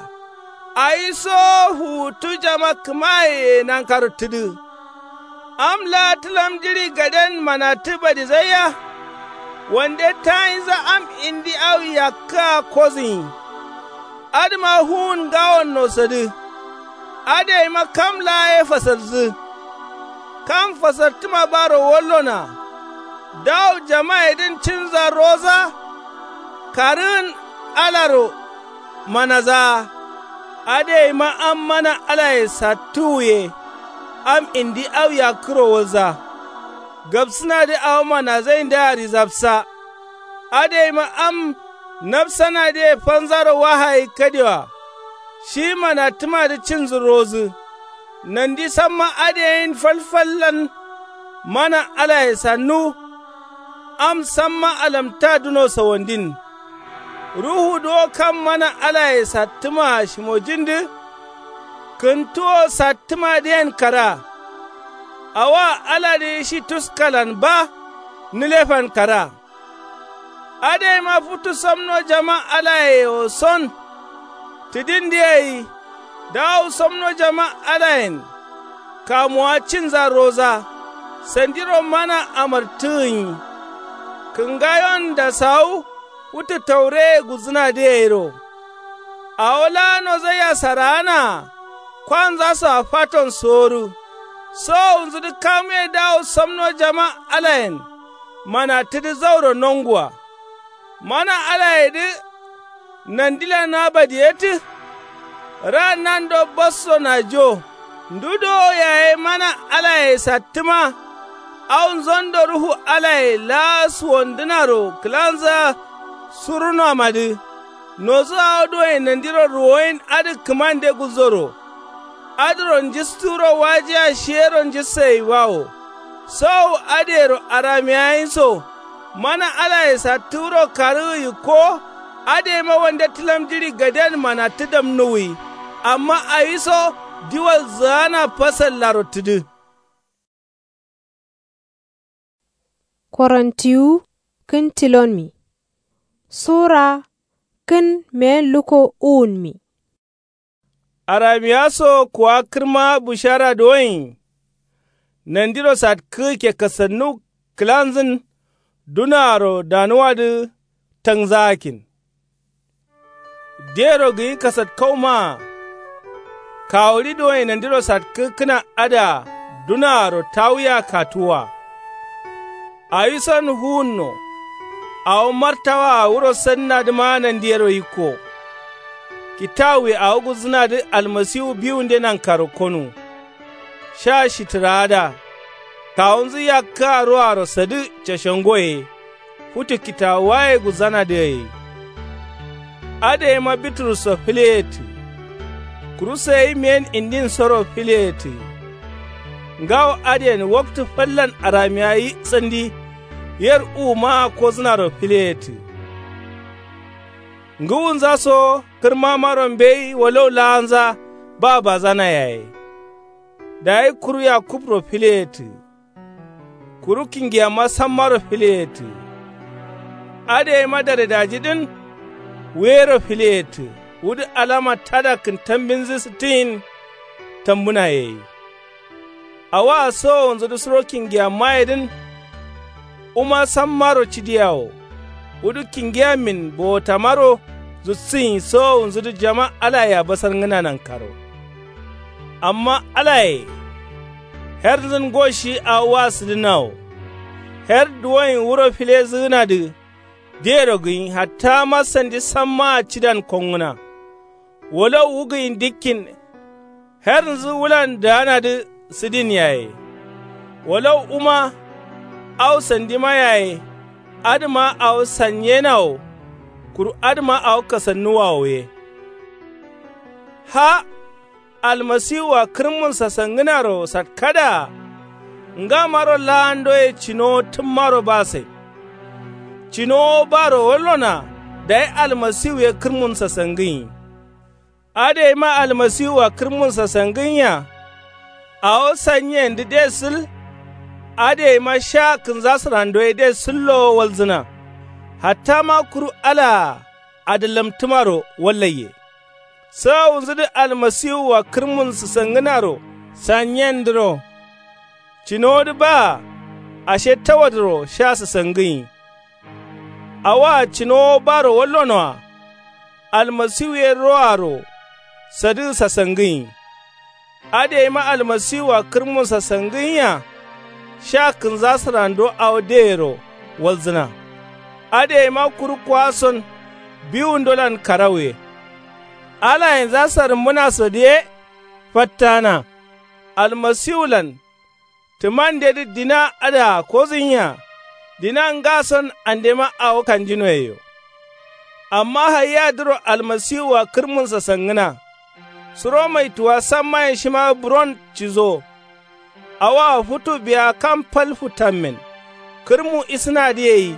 Awiso fuwuttu jama kǝmayeye nankaro tǝdǝ. Am laa tǝlam jiɍi gaden manattǝ badizaiya. Wande tayinza am indi au yakkǝa kozǝnyi. Adǝma fuwun ngawon nosadǝ. Adǝ gaima kam laa ye fasarzǝ. Kam fasartǝma baro wallona. Dawu jamayedǝn cinza roza. Karǝgǝn alaro manazaa. Adǝ gaima am mana alaye sattǝwuye. Am indi au yakkǝro walza. Gabsǝnadǝ awo manazaindǝa rizabsa. Adǝ gaima am nabsanadǝye fanzaro wahayi kadewa. Shi manattǝmadǝ cinzǝ rozǝ. Nandi samma adǝ yen falfallan. Mana alaye sannu. Am samma alamta duno sawandin. Ruhu duwo kam mana alaye sattǝmaa shimojindǝ. Kǝntuwo sattǝmadǝyen kara. Awoa aladǝ shi tuskalan ba. Nǝlefan kara. Adǝ gaima futu samno jama alaye yewo son. Tǝdindǝ gai. Dawu samno jama alayen. Kamuwa cinza roza. Sandiro mana amartǝgǝnyi. Kǝngayon dasawu. Futu taureye gulzǝnadǝ gairo. Awo laa nozaiya saraanaa. Kwanzasoa faton sowodǝ. Sowowunzudǝ kamuye dawu samno jama alayen. Manattǝdǝ zauro nonguwa. Mana alayedǝ. Nandilan abadiyettǝ. Ra'an nando basso najo. Ndu dowo yaye mana alaye sattǝma. Au nzondo ruhu alaye laa suwandǝnaro kǝlanzǝa. Surunamadǝ. Nodǝ awo duwoyen nandiro ruwoyin adǝ kǝmande gulzoro. Adǝro njisturo wajiya shiyero njistayeyiwawo. Sowu adǝyero aramiyayinso. Mana alaye sattǝ wuro karǝgǝ yikkowo. Adǝ gaima wande tǝlam jiɍi gaden manattǝ damnuwwi. Amma awiso. Diwal zǝgana fasallaro tǝdǝ. Korontiwu kǝn tilonmi. Sura kǝn meyen lukko uwunmi. Aramiya so kuwa kǝrma bushara duwoin. Nandiro satkǝ kekkasannu kǝlanzǝn. Dunaaro danuwadǝ tangzagakkin. Dero gǝyi kasatkaumaa. Kawuɍi duwoin nandiro satkǝkkǝna adǝa dunaaro tawuya katuwwa. Awisan fuwunno. Awo martawaa wuro sannadǝma nandiyero yikko. Kitawuye awo gulzǝnadǝ almasiwu biwunde nankaro konu. Sha shitǝraada. Kawunzǝ yakkǝa ruaro sadǝ cashangoye. Futu kitawuwaye gulzanadǝ gai. Adǝ gaima biturusso fǝleyettǝ. Kuru sayi meyen indinsoro fǝleyettǝ. Ngawo adǝyen waktǝ fallan aramiyayi sandi. Yer uwumaa kozǝnaro fǝleyettǝ. Ngǝwunza so kǝrmamaro mbeyi walau laanza. Ba bazana yaye. Dayi kuru yakubro fǝleyettǝ. Kuru kingiyama sammaro fǝleyettǝ. Adǝ gaima daredajidǝn. Wuyero fǝleyettǝ. Wudǝ alama tada kǝntambinzǝ sǝttǝyin. Tambǝna yeyi. Awaa sowowunzudǝ suro kingiyamayedǝn. Wuma sammaro cidiyawo. Wudǝ kingiyamin bowotamaro. Zutsǝnyi sowowunzudǝ jama alayea basarngǝna nankaro. Amma alaye. Hernzǝn ngo shi awo wa sǝdǝnnawo. Her duwoin wuro filezǝgǝnadǝ. Dero gǝnyi hattama sandi sammaa cidan kongǝna. Walau wu gǝnyi dikkin. Hernzǝ wulan daanadǝ sǝdin yaye. Walau wuma au sandima yaye. Adǝma awo sanyena wo. Kuru adǝma awo kasannuwa wo ye. Ha almasiwua kǝrmun sasangǝnaro satkadǝa. Ngamaro laandoye cinowo tǝmmaro basain. Cinowo baro wallonoa. Dayi almasiwu ye kǝrmun sasangǝnyi. Adǝgaima almasiwua kǝrmun sasangǝnya. Awo sanyiyendǝ de sǝl. Adǝgaima sha kǝnza sǝrando ye de sǝllowo walzǝna. Hattama kuru alaa adǝllamtǝmaro wallaiye. Sawunzǝdǝ almasiwua kǝrmun sǝsangǝnaro sanyiyendǝro. Cinowodǝ baa ashe tawadǝro sha sǝsangǝnyi. Awoa cinowo baro wallonoa. Almasiwu ye roaro sadǝgǝ sasangǝnyi. Adǝgaima almasiwua kǝrmun sasangǝnya. Sha kǝnza sǝrando awo deyero walzǝna. Adǝgaima kuru kuwason biwundolan karauye. Alayenza sarǝmbǝnasodǝ ye fattana. Almasiwulan tǝmandedǝ dina adǝa kozǝnyiya. Dina ngason andema awo kanjinoyeyo. Amma haiyadǝro almasiwua kǝrmun sasangǝna. Suro maituwa sammayen shima buron cizo. Awoa futu biya kam fal futammen. Kǝrmu isǝnadǝ yeyi.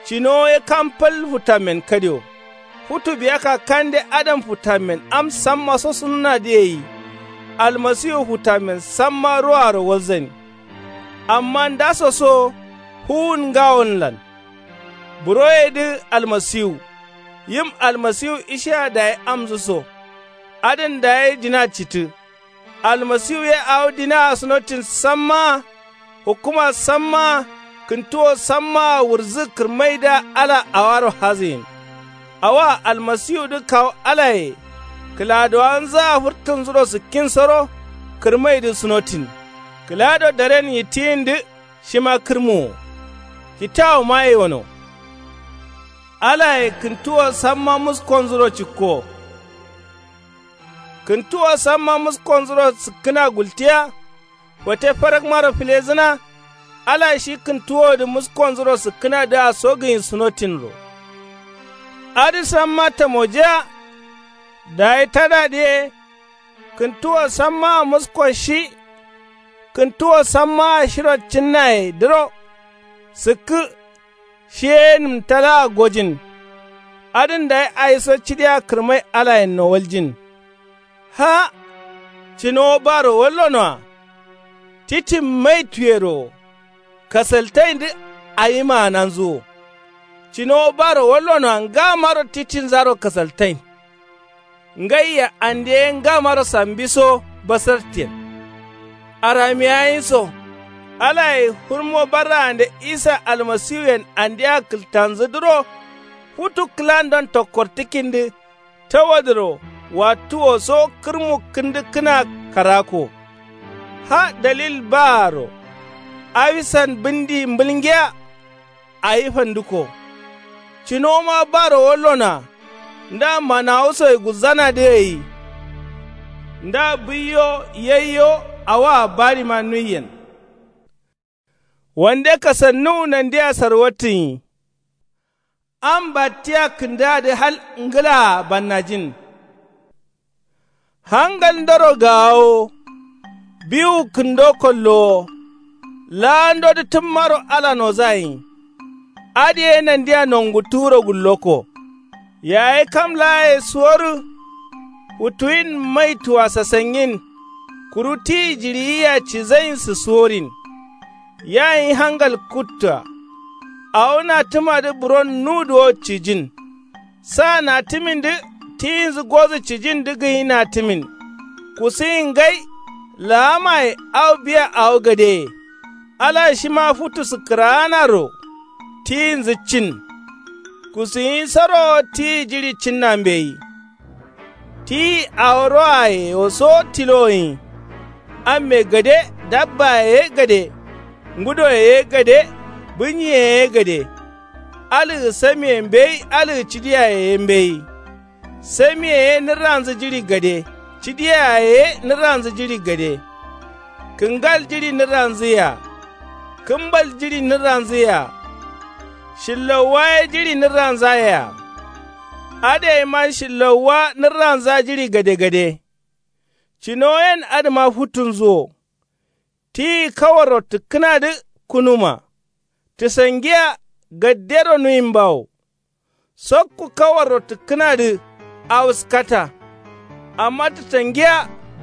Cinowo ye kam fal futammen kadio. Futu biya kakkande adǝm futammen am samma sosunǝnadǝ yeyi. Almasiwu futammen samma ruaro walzani. Amma ndaso so fuwun ngawonlan. Buroyedǝ almasiwu. Yim almasiwu ishiya dayi amzǝ so. Adǝn dayi dina citǝ. Almasiwu ye awo dinaa sunotin sammaa. Hukuma sammaa. Kǝntuwo sammaa wurzu kǝrmaidǝa ala awaro hazǝgin. Awoa almasiwudǝ kawu alaye. Kǝladowanzǝa fǝrtǝnzuro sǝkkinsoro. Kǝrmaidǝ sunotin. Kǝlado daren yittiyindǝ. Shima kǝrmu wo. Kitawuma ye wono. Alaye kǝntuwo samma muskonzuro cikko. Kǝntuwo samma muskonzuro sǝkkǝna gultiya. Fate farakmaro filezǝna. Ala shi kǝntuwodǝ muskonzuro sǝkkǝnadǝa sogǝyin sunotinro. Adǝ samma tamojiya. Dayi tadadǝ ye. Kǝntuwo sammaa musko shi. Kǝntuwo sammaa shiro cinnayedǝro. Sǝkkǝ. Shi ye nǝmtalaa gojin. Adǝn dayi ayiso cidiya kǝrmai alayenno waljin. Ha. Cinowo baro wallonoa. Titin maituyero wo. Kasaltaindǝ awi maananzu wo. Cinowo baro wallonoa ngamaro titinzaro kasaltain. Ngaiya ande ye ngamaro sambiso basartiyen. Aramiyayin so. Alaye fǝrmo barraande isa almasiwuyen andea kǝltanzǝdǝro. Futu kǝlandon tokkortǝkindǝ. Tawadǝro wattuwo so kǝrmu kǝndǝkkǝna karako. Ha dalil baaro. Awisan bǝndi mbǝlngiya. Awi fandǝko. Cinoma baro wallonoa. Nda manawusoye gulzanadǝ gai. Nda bǝiyo yaiyo awoa barima nuiyen. Wande kasannuwu nandia sarwattǝnyi. Am battiya kǝndǝadǝ hal ngǝlaa bannajin. Hangal ndoro gaawo. Biwu kǝndo kollowo. Laandodǝ tǝmmaro ala nozayin. Adǝ ye nandia nonguttuwuro gullokko. Yaye kam laaye suworǝ. Futuwin maituwa sasangin. Kuru tiyi jiɍiyia cizain sǝsuworin. Yayin hangal kuttua. Awo natǝmadǝ buron nuduwo cijin. Sa natǝmindǝ tiyinzǝ gozǝ cijindǝ gǝnyi natǝmin. Kusuyin ngai. Laamaye au biya awo gadeye. Ala shima futu sǝkkǝraanaro. Tiyinzǝ cin. Kusuyinsoro tiyi jiɍi cinna mbeyi. Tiyi awo roaye wo so tilowoyin. Amme gade dabbaye ye gade. Ngudoye ye gade. Bǝnyiye ye gade. Alǝgǝ samiye mbeyi alǝgǝ cidiyaye ye mbeyi. Samiye ye nǝrranzǝ jiɍi gade. Cidiyaye ye nǝrranzǝ jiɍi gade. Kǝngal jiɍi nǝrranzǝ yea. Kǝmbal jiɍi nǝrranzǝ yea. Shillauwa ye jiɍi nǝrranza yea. Adǝgaima shillauwa nǝrranza jiɍi gade gade. Cinowoyen adǝma futtunzǝ wo. Tiyi kawarro tǝkkǝnadǝ kunuma. Tǝsangiya gaddero nuyin bawo. Sokku kawarro tǝkkǝnadǝ awuskata. Amma tǝtangiya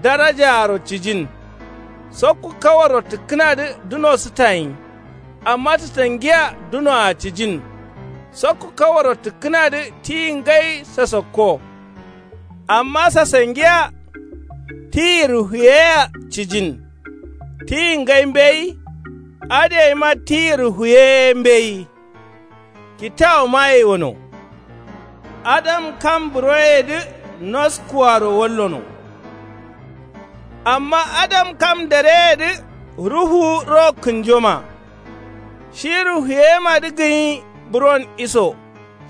darajaaro cijin. Sokku kawarro tǝkkǝnadǝ duno sǝtayin. Amma tǝtangiya dunoa cijin. Sokku kawarro tǝkkǝnadǝ tiyi ngai sasakko. Amma sasangiya tiyi ruhuyeyea cijin. Tiyi ngai mbeyi. Adǝgaima tiyi ruhuye ye mbeyi. Kitawuma yaiwono. Adam kam buroyeyedǝ noskuaro wallono. Amma adam kam dareyeyedǝ ruhu ro kǝnjoma. Shi ruhuyemadǝ gǝnyi buron iso.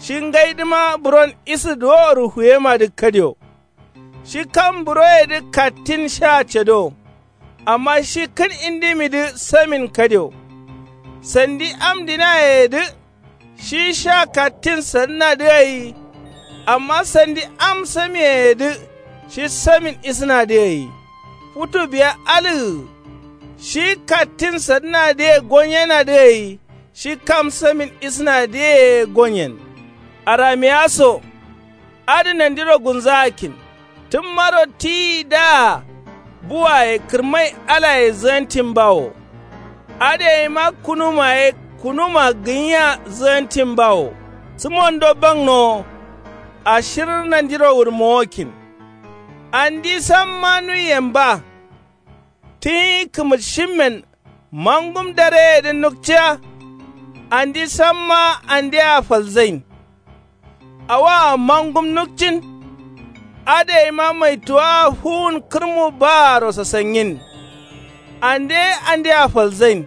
Shi ngaidǝma buron isǝdǝ wo ruhuyemadǝ kadio. Shi kam buroyedǝ kattin sha cado. Amma shi kǝn indimidǝ samin kadio. Sandi am dinayeyedǝ shi sha kattin sadǝnadǝ gai. Amma sandi am samiyeyedǝ shi samin isǝnadǝ gai. Futu biya alǝgǝ shi kattin sadǝnadǝye gonyenadǝ gai. Shi kam samin isǝnadǝye ye gonyen. Aramiya so. Adǝ nandiro gunzakkin. Tǝmmaro tiyi daa buwaye kǝrmai alaye zǝgantin bawo. Adǝgaima kunuma ye kunuma gǝnyiya zǝgantin bawo. Sǝmondo bangnowo. Ashir nandiro wurmowokkin. Andi samma nuiyen ba. Tǝnyi kǝmǝtshimmen mangum dareyedǝ nukciya. Andi samma andea falzain. Awaa mangum nukcin. Adǝgaima maituwaa fuwun kǝrmu baaro sasangin. Ande andea falzain.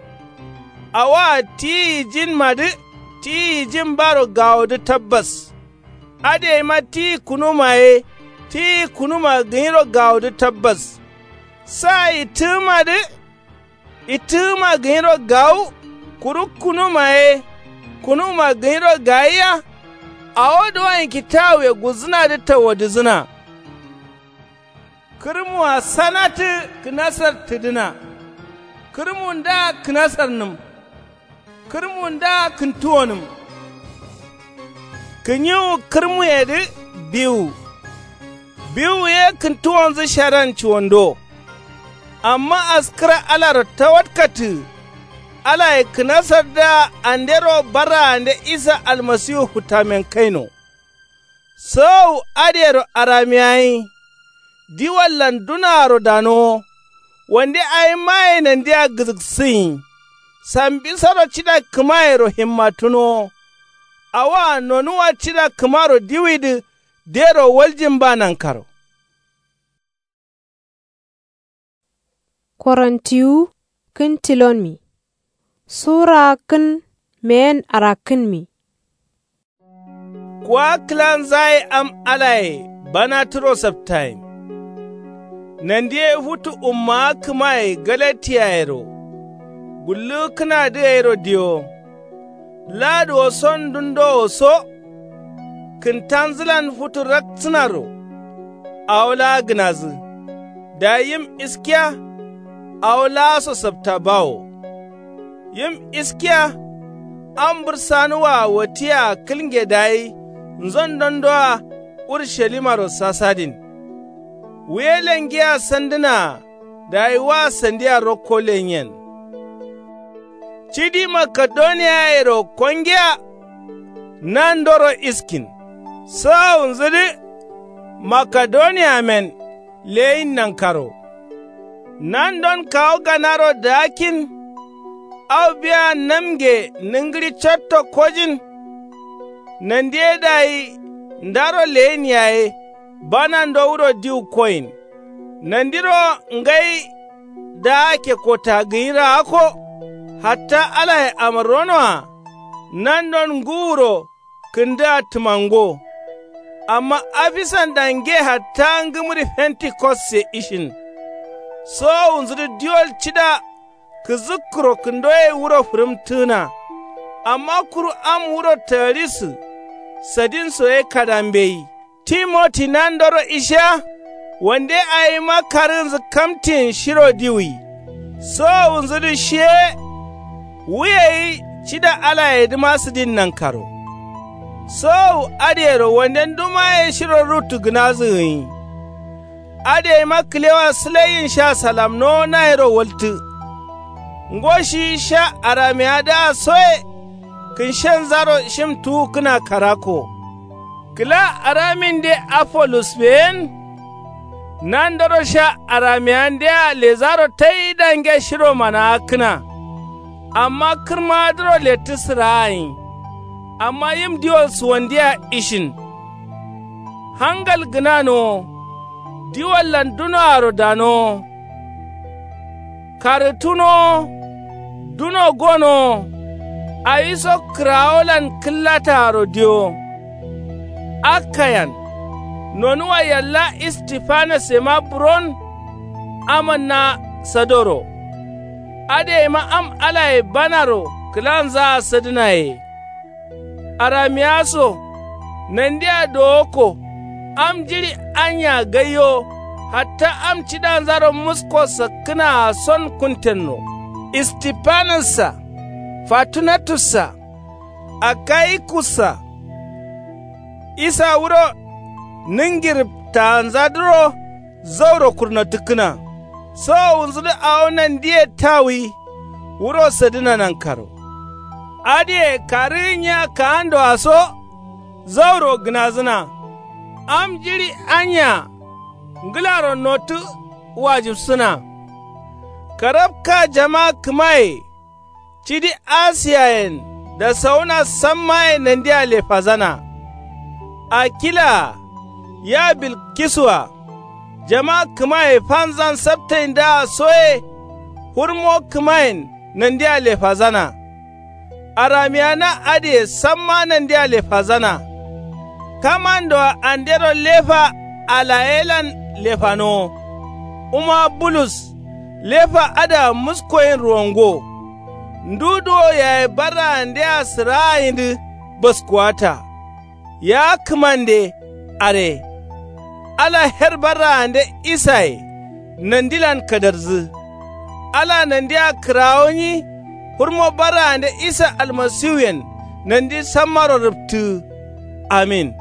Awaa tiyi yijinmadǝ tiyi yijin baro gawodǝ tabbas. Adǝgaima tiyi kunuma ye tiyi kunuma gǝnyiro gawodǝ tabbas. Sa ittǝgǝmadǝ ittǝgǝma gǝnyiro gawu. Kuru kunuma ye kunuma gǝnyiro gayiya. Awo duwon kitawuye gulzǝnadǝ tawadǝzǝna. Kǝrmua sanatǝ kǝnasar tǝdǝna. Kǝrmundǝa kǝnasarnǝm. Kǝrmundǝa kǝntuwonǝm. Kǝnyiwu kǝrmuyedǝ biwu. Biwu ye kǝntuwonzǝ shadan cuwando. Amma askǝra alaro tawatkattǝgǝ. Alaye kǝnasardǝa andero barraande isa almasiwu futtamen kaino. Sowowu adǝyero aramiyayi. Diwallan dunaaro danowo. Wande awimmaye nandia gǝzǝksǝnyi. Sambisoro cida kǝmayero himmatǝnowo. Awoa nonuwa cida kǝmaro diwidǝ dero waljin ba nankaro. Korontiwu kǝn tilonmi. Sura kǝn meyen arakkǝnmi. Kuwa kǝlanzaye am alaye bana turo saptayin. Nandiye futu ummawa kǝmaye galatiyayero. Gullukkǝnadǝ gairo diyo. Laduwo son dundowo so. Kǝntanzǝlan futu raksǝnaro. Awo laa gǝnazǝ. Dayi yim iskiya. Awo laaso sapta bawo. Yim iskiya. Am bǝrsanuwaa watiyea kǝlnge dayi nzon dondoa urushalimaro sasadin. Wuye lengiya sandǝnaa. Dayi wa sandia rokko lenyen. Cidi makedoniyayero kongiya. Nandoro iskin sawunzudǝ. Makedoniyamen leyin nankaro. Nandon kawu ganaro daakkin. Au biya namge nǝngǝɍi catto kojin. Nandiye dayi ndaro leyin yaye. Bana ndowuro diwu koyin. Nandiro ngai daake kota gǝnyiro akko. Hatta alaye amarronoa. Nandon ngǝwuro kǝndǝa tǝmango. Amma afisan dange hatta ngǝmǝri fentikosse ishin. Sowowunzǝdǝ diwol cida kǝzǝkkuro kǝndoye wuro fǝrǝmtǝgǝna. Amma kuru am wuro tagǝrisǝ sadinso ye kada mbeyi. Timoti nandoro isha. Wande awima karǝgǝnzǝ kamtiyin shiro diwuyi. Sowowunzudǝ shiye wuyeyi cida alayedǝma sǝdin nankaro. Sowowu adǝyero wande ndumaye shiro ruttugǝnazǝ gǝnyi. Adǝyeima kǝlewa sǝlaiyin sha salamnowo nayero waltǝ. Ngo shiyi sha aramiyadǝa soye kǝnshenzaro shim tuwukkǝna karako. Kǝla araminde afolusbeyen. Nandoro sha aramiyandea lezaro tai dange shiro manawakkǝna. Amma kǝrmadǝro lettǝ sǝraagǝnyi. Amma yim diwol suwandiyea ishin. Hangal gǝnanowo. Diwollan dunoaro danowo. Karǝtunowo. Duno gonowo. Awiso kǝrawolan kǝllataaro diyowo. Akkayan. Nonuwa yalla istifanas yema buron. Amanna sadoro. Adǝyeima am alaye banaro kǝlanzaa sadǝnaye. Aramiya so. Nandea dowokko. Am jiɍi anya gaiyo. Hatta am cidanzaro musko sakkǝnaa son kuntenno. Istifanassa. Fatunatussa. Akayikussa. Isa wuro nǝngi rǝptaanzadǝro zauro kurnotǝkkǝna. Sowowunzudǝ awo nandiye tawuyi. Wuro sadǝna nankaro. Adǝye karǝgǝnyiya kaandoaso zauro gǝnazǝna. Am jiɍi anya ngǝlaro notǝ wajibsǝna. Karabka jama kǝmaye. Cidi asiyayen dasawuna sammaye nandia lefazana. Akila-a ya bilkisu-a jama kǝmaye fanzan saptaindǝa soye. Hurmo kǝmayen nandia lefazana. Aramiya na adǝye samma nandia lefazana. Kamandoa andero lefa alayelan lefanowo. Uma bulus lefa adǝa muskoyin ruwango. Ndu duwo yaye barraandea sǝraayindǝ baskuwata. Ya kǝmande are. Ala her barraande isaye nandilan kadarzǝ. Ala nandia kǝrawonyi. Hurmo barraande isa almasiwuyen nandi sammaro rǝptǝgǝ. Amin.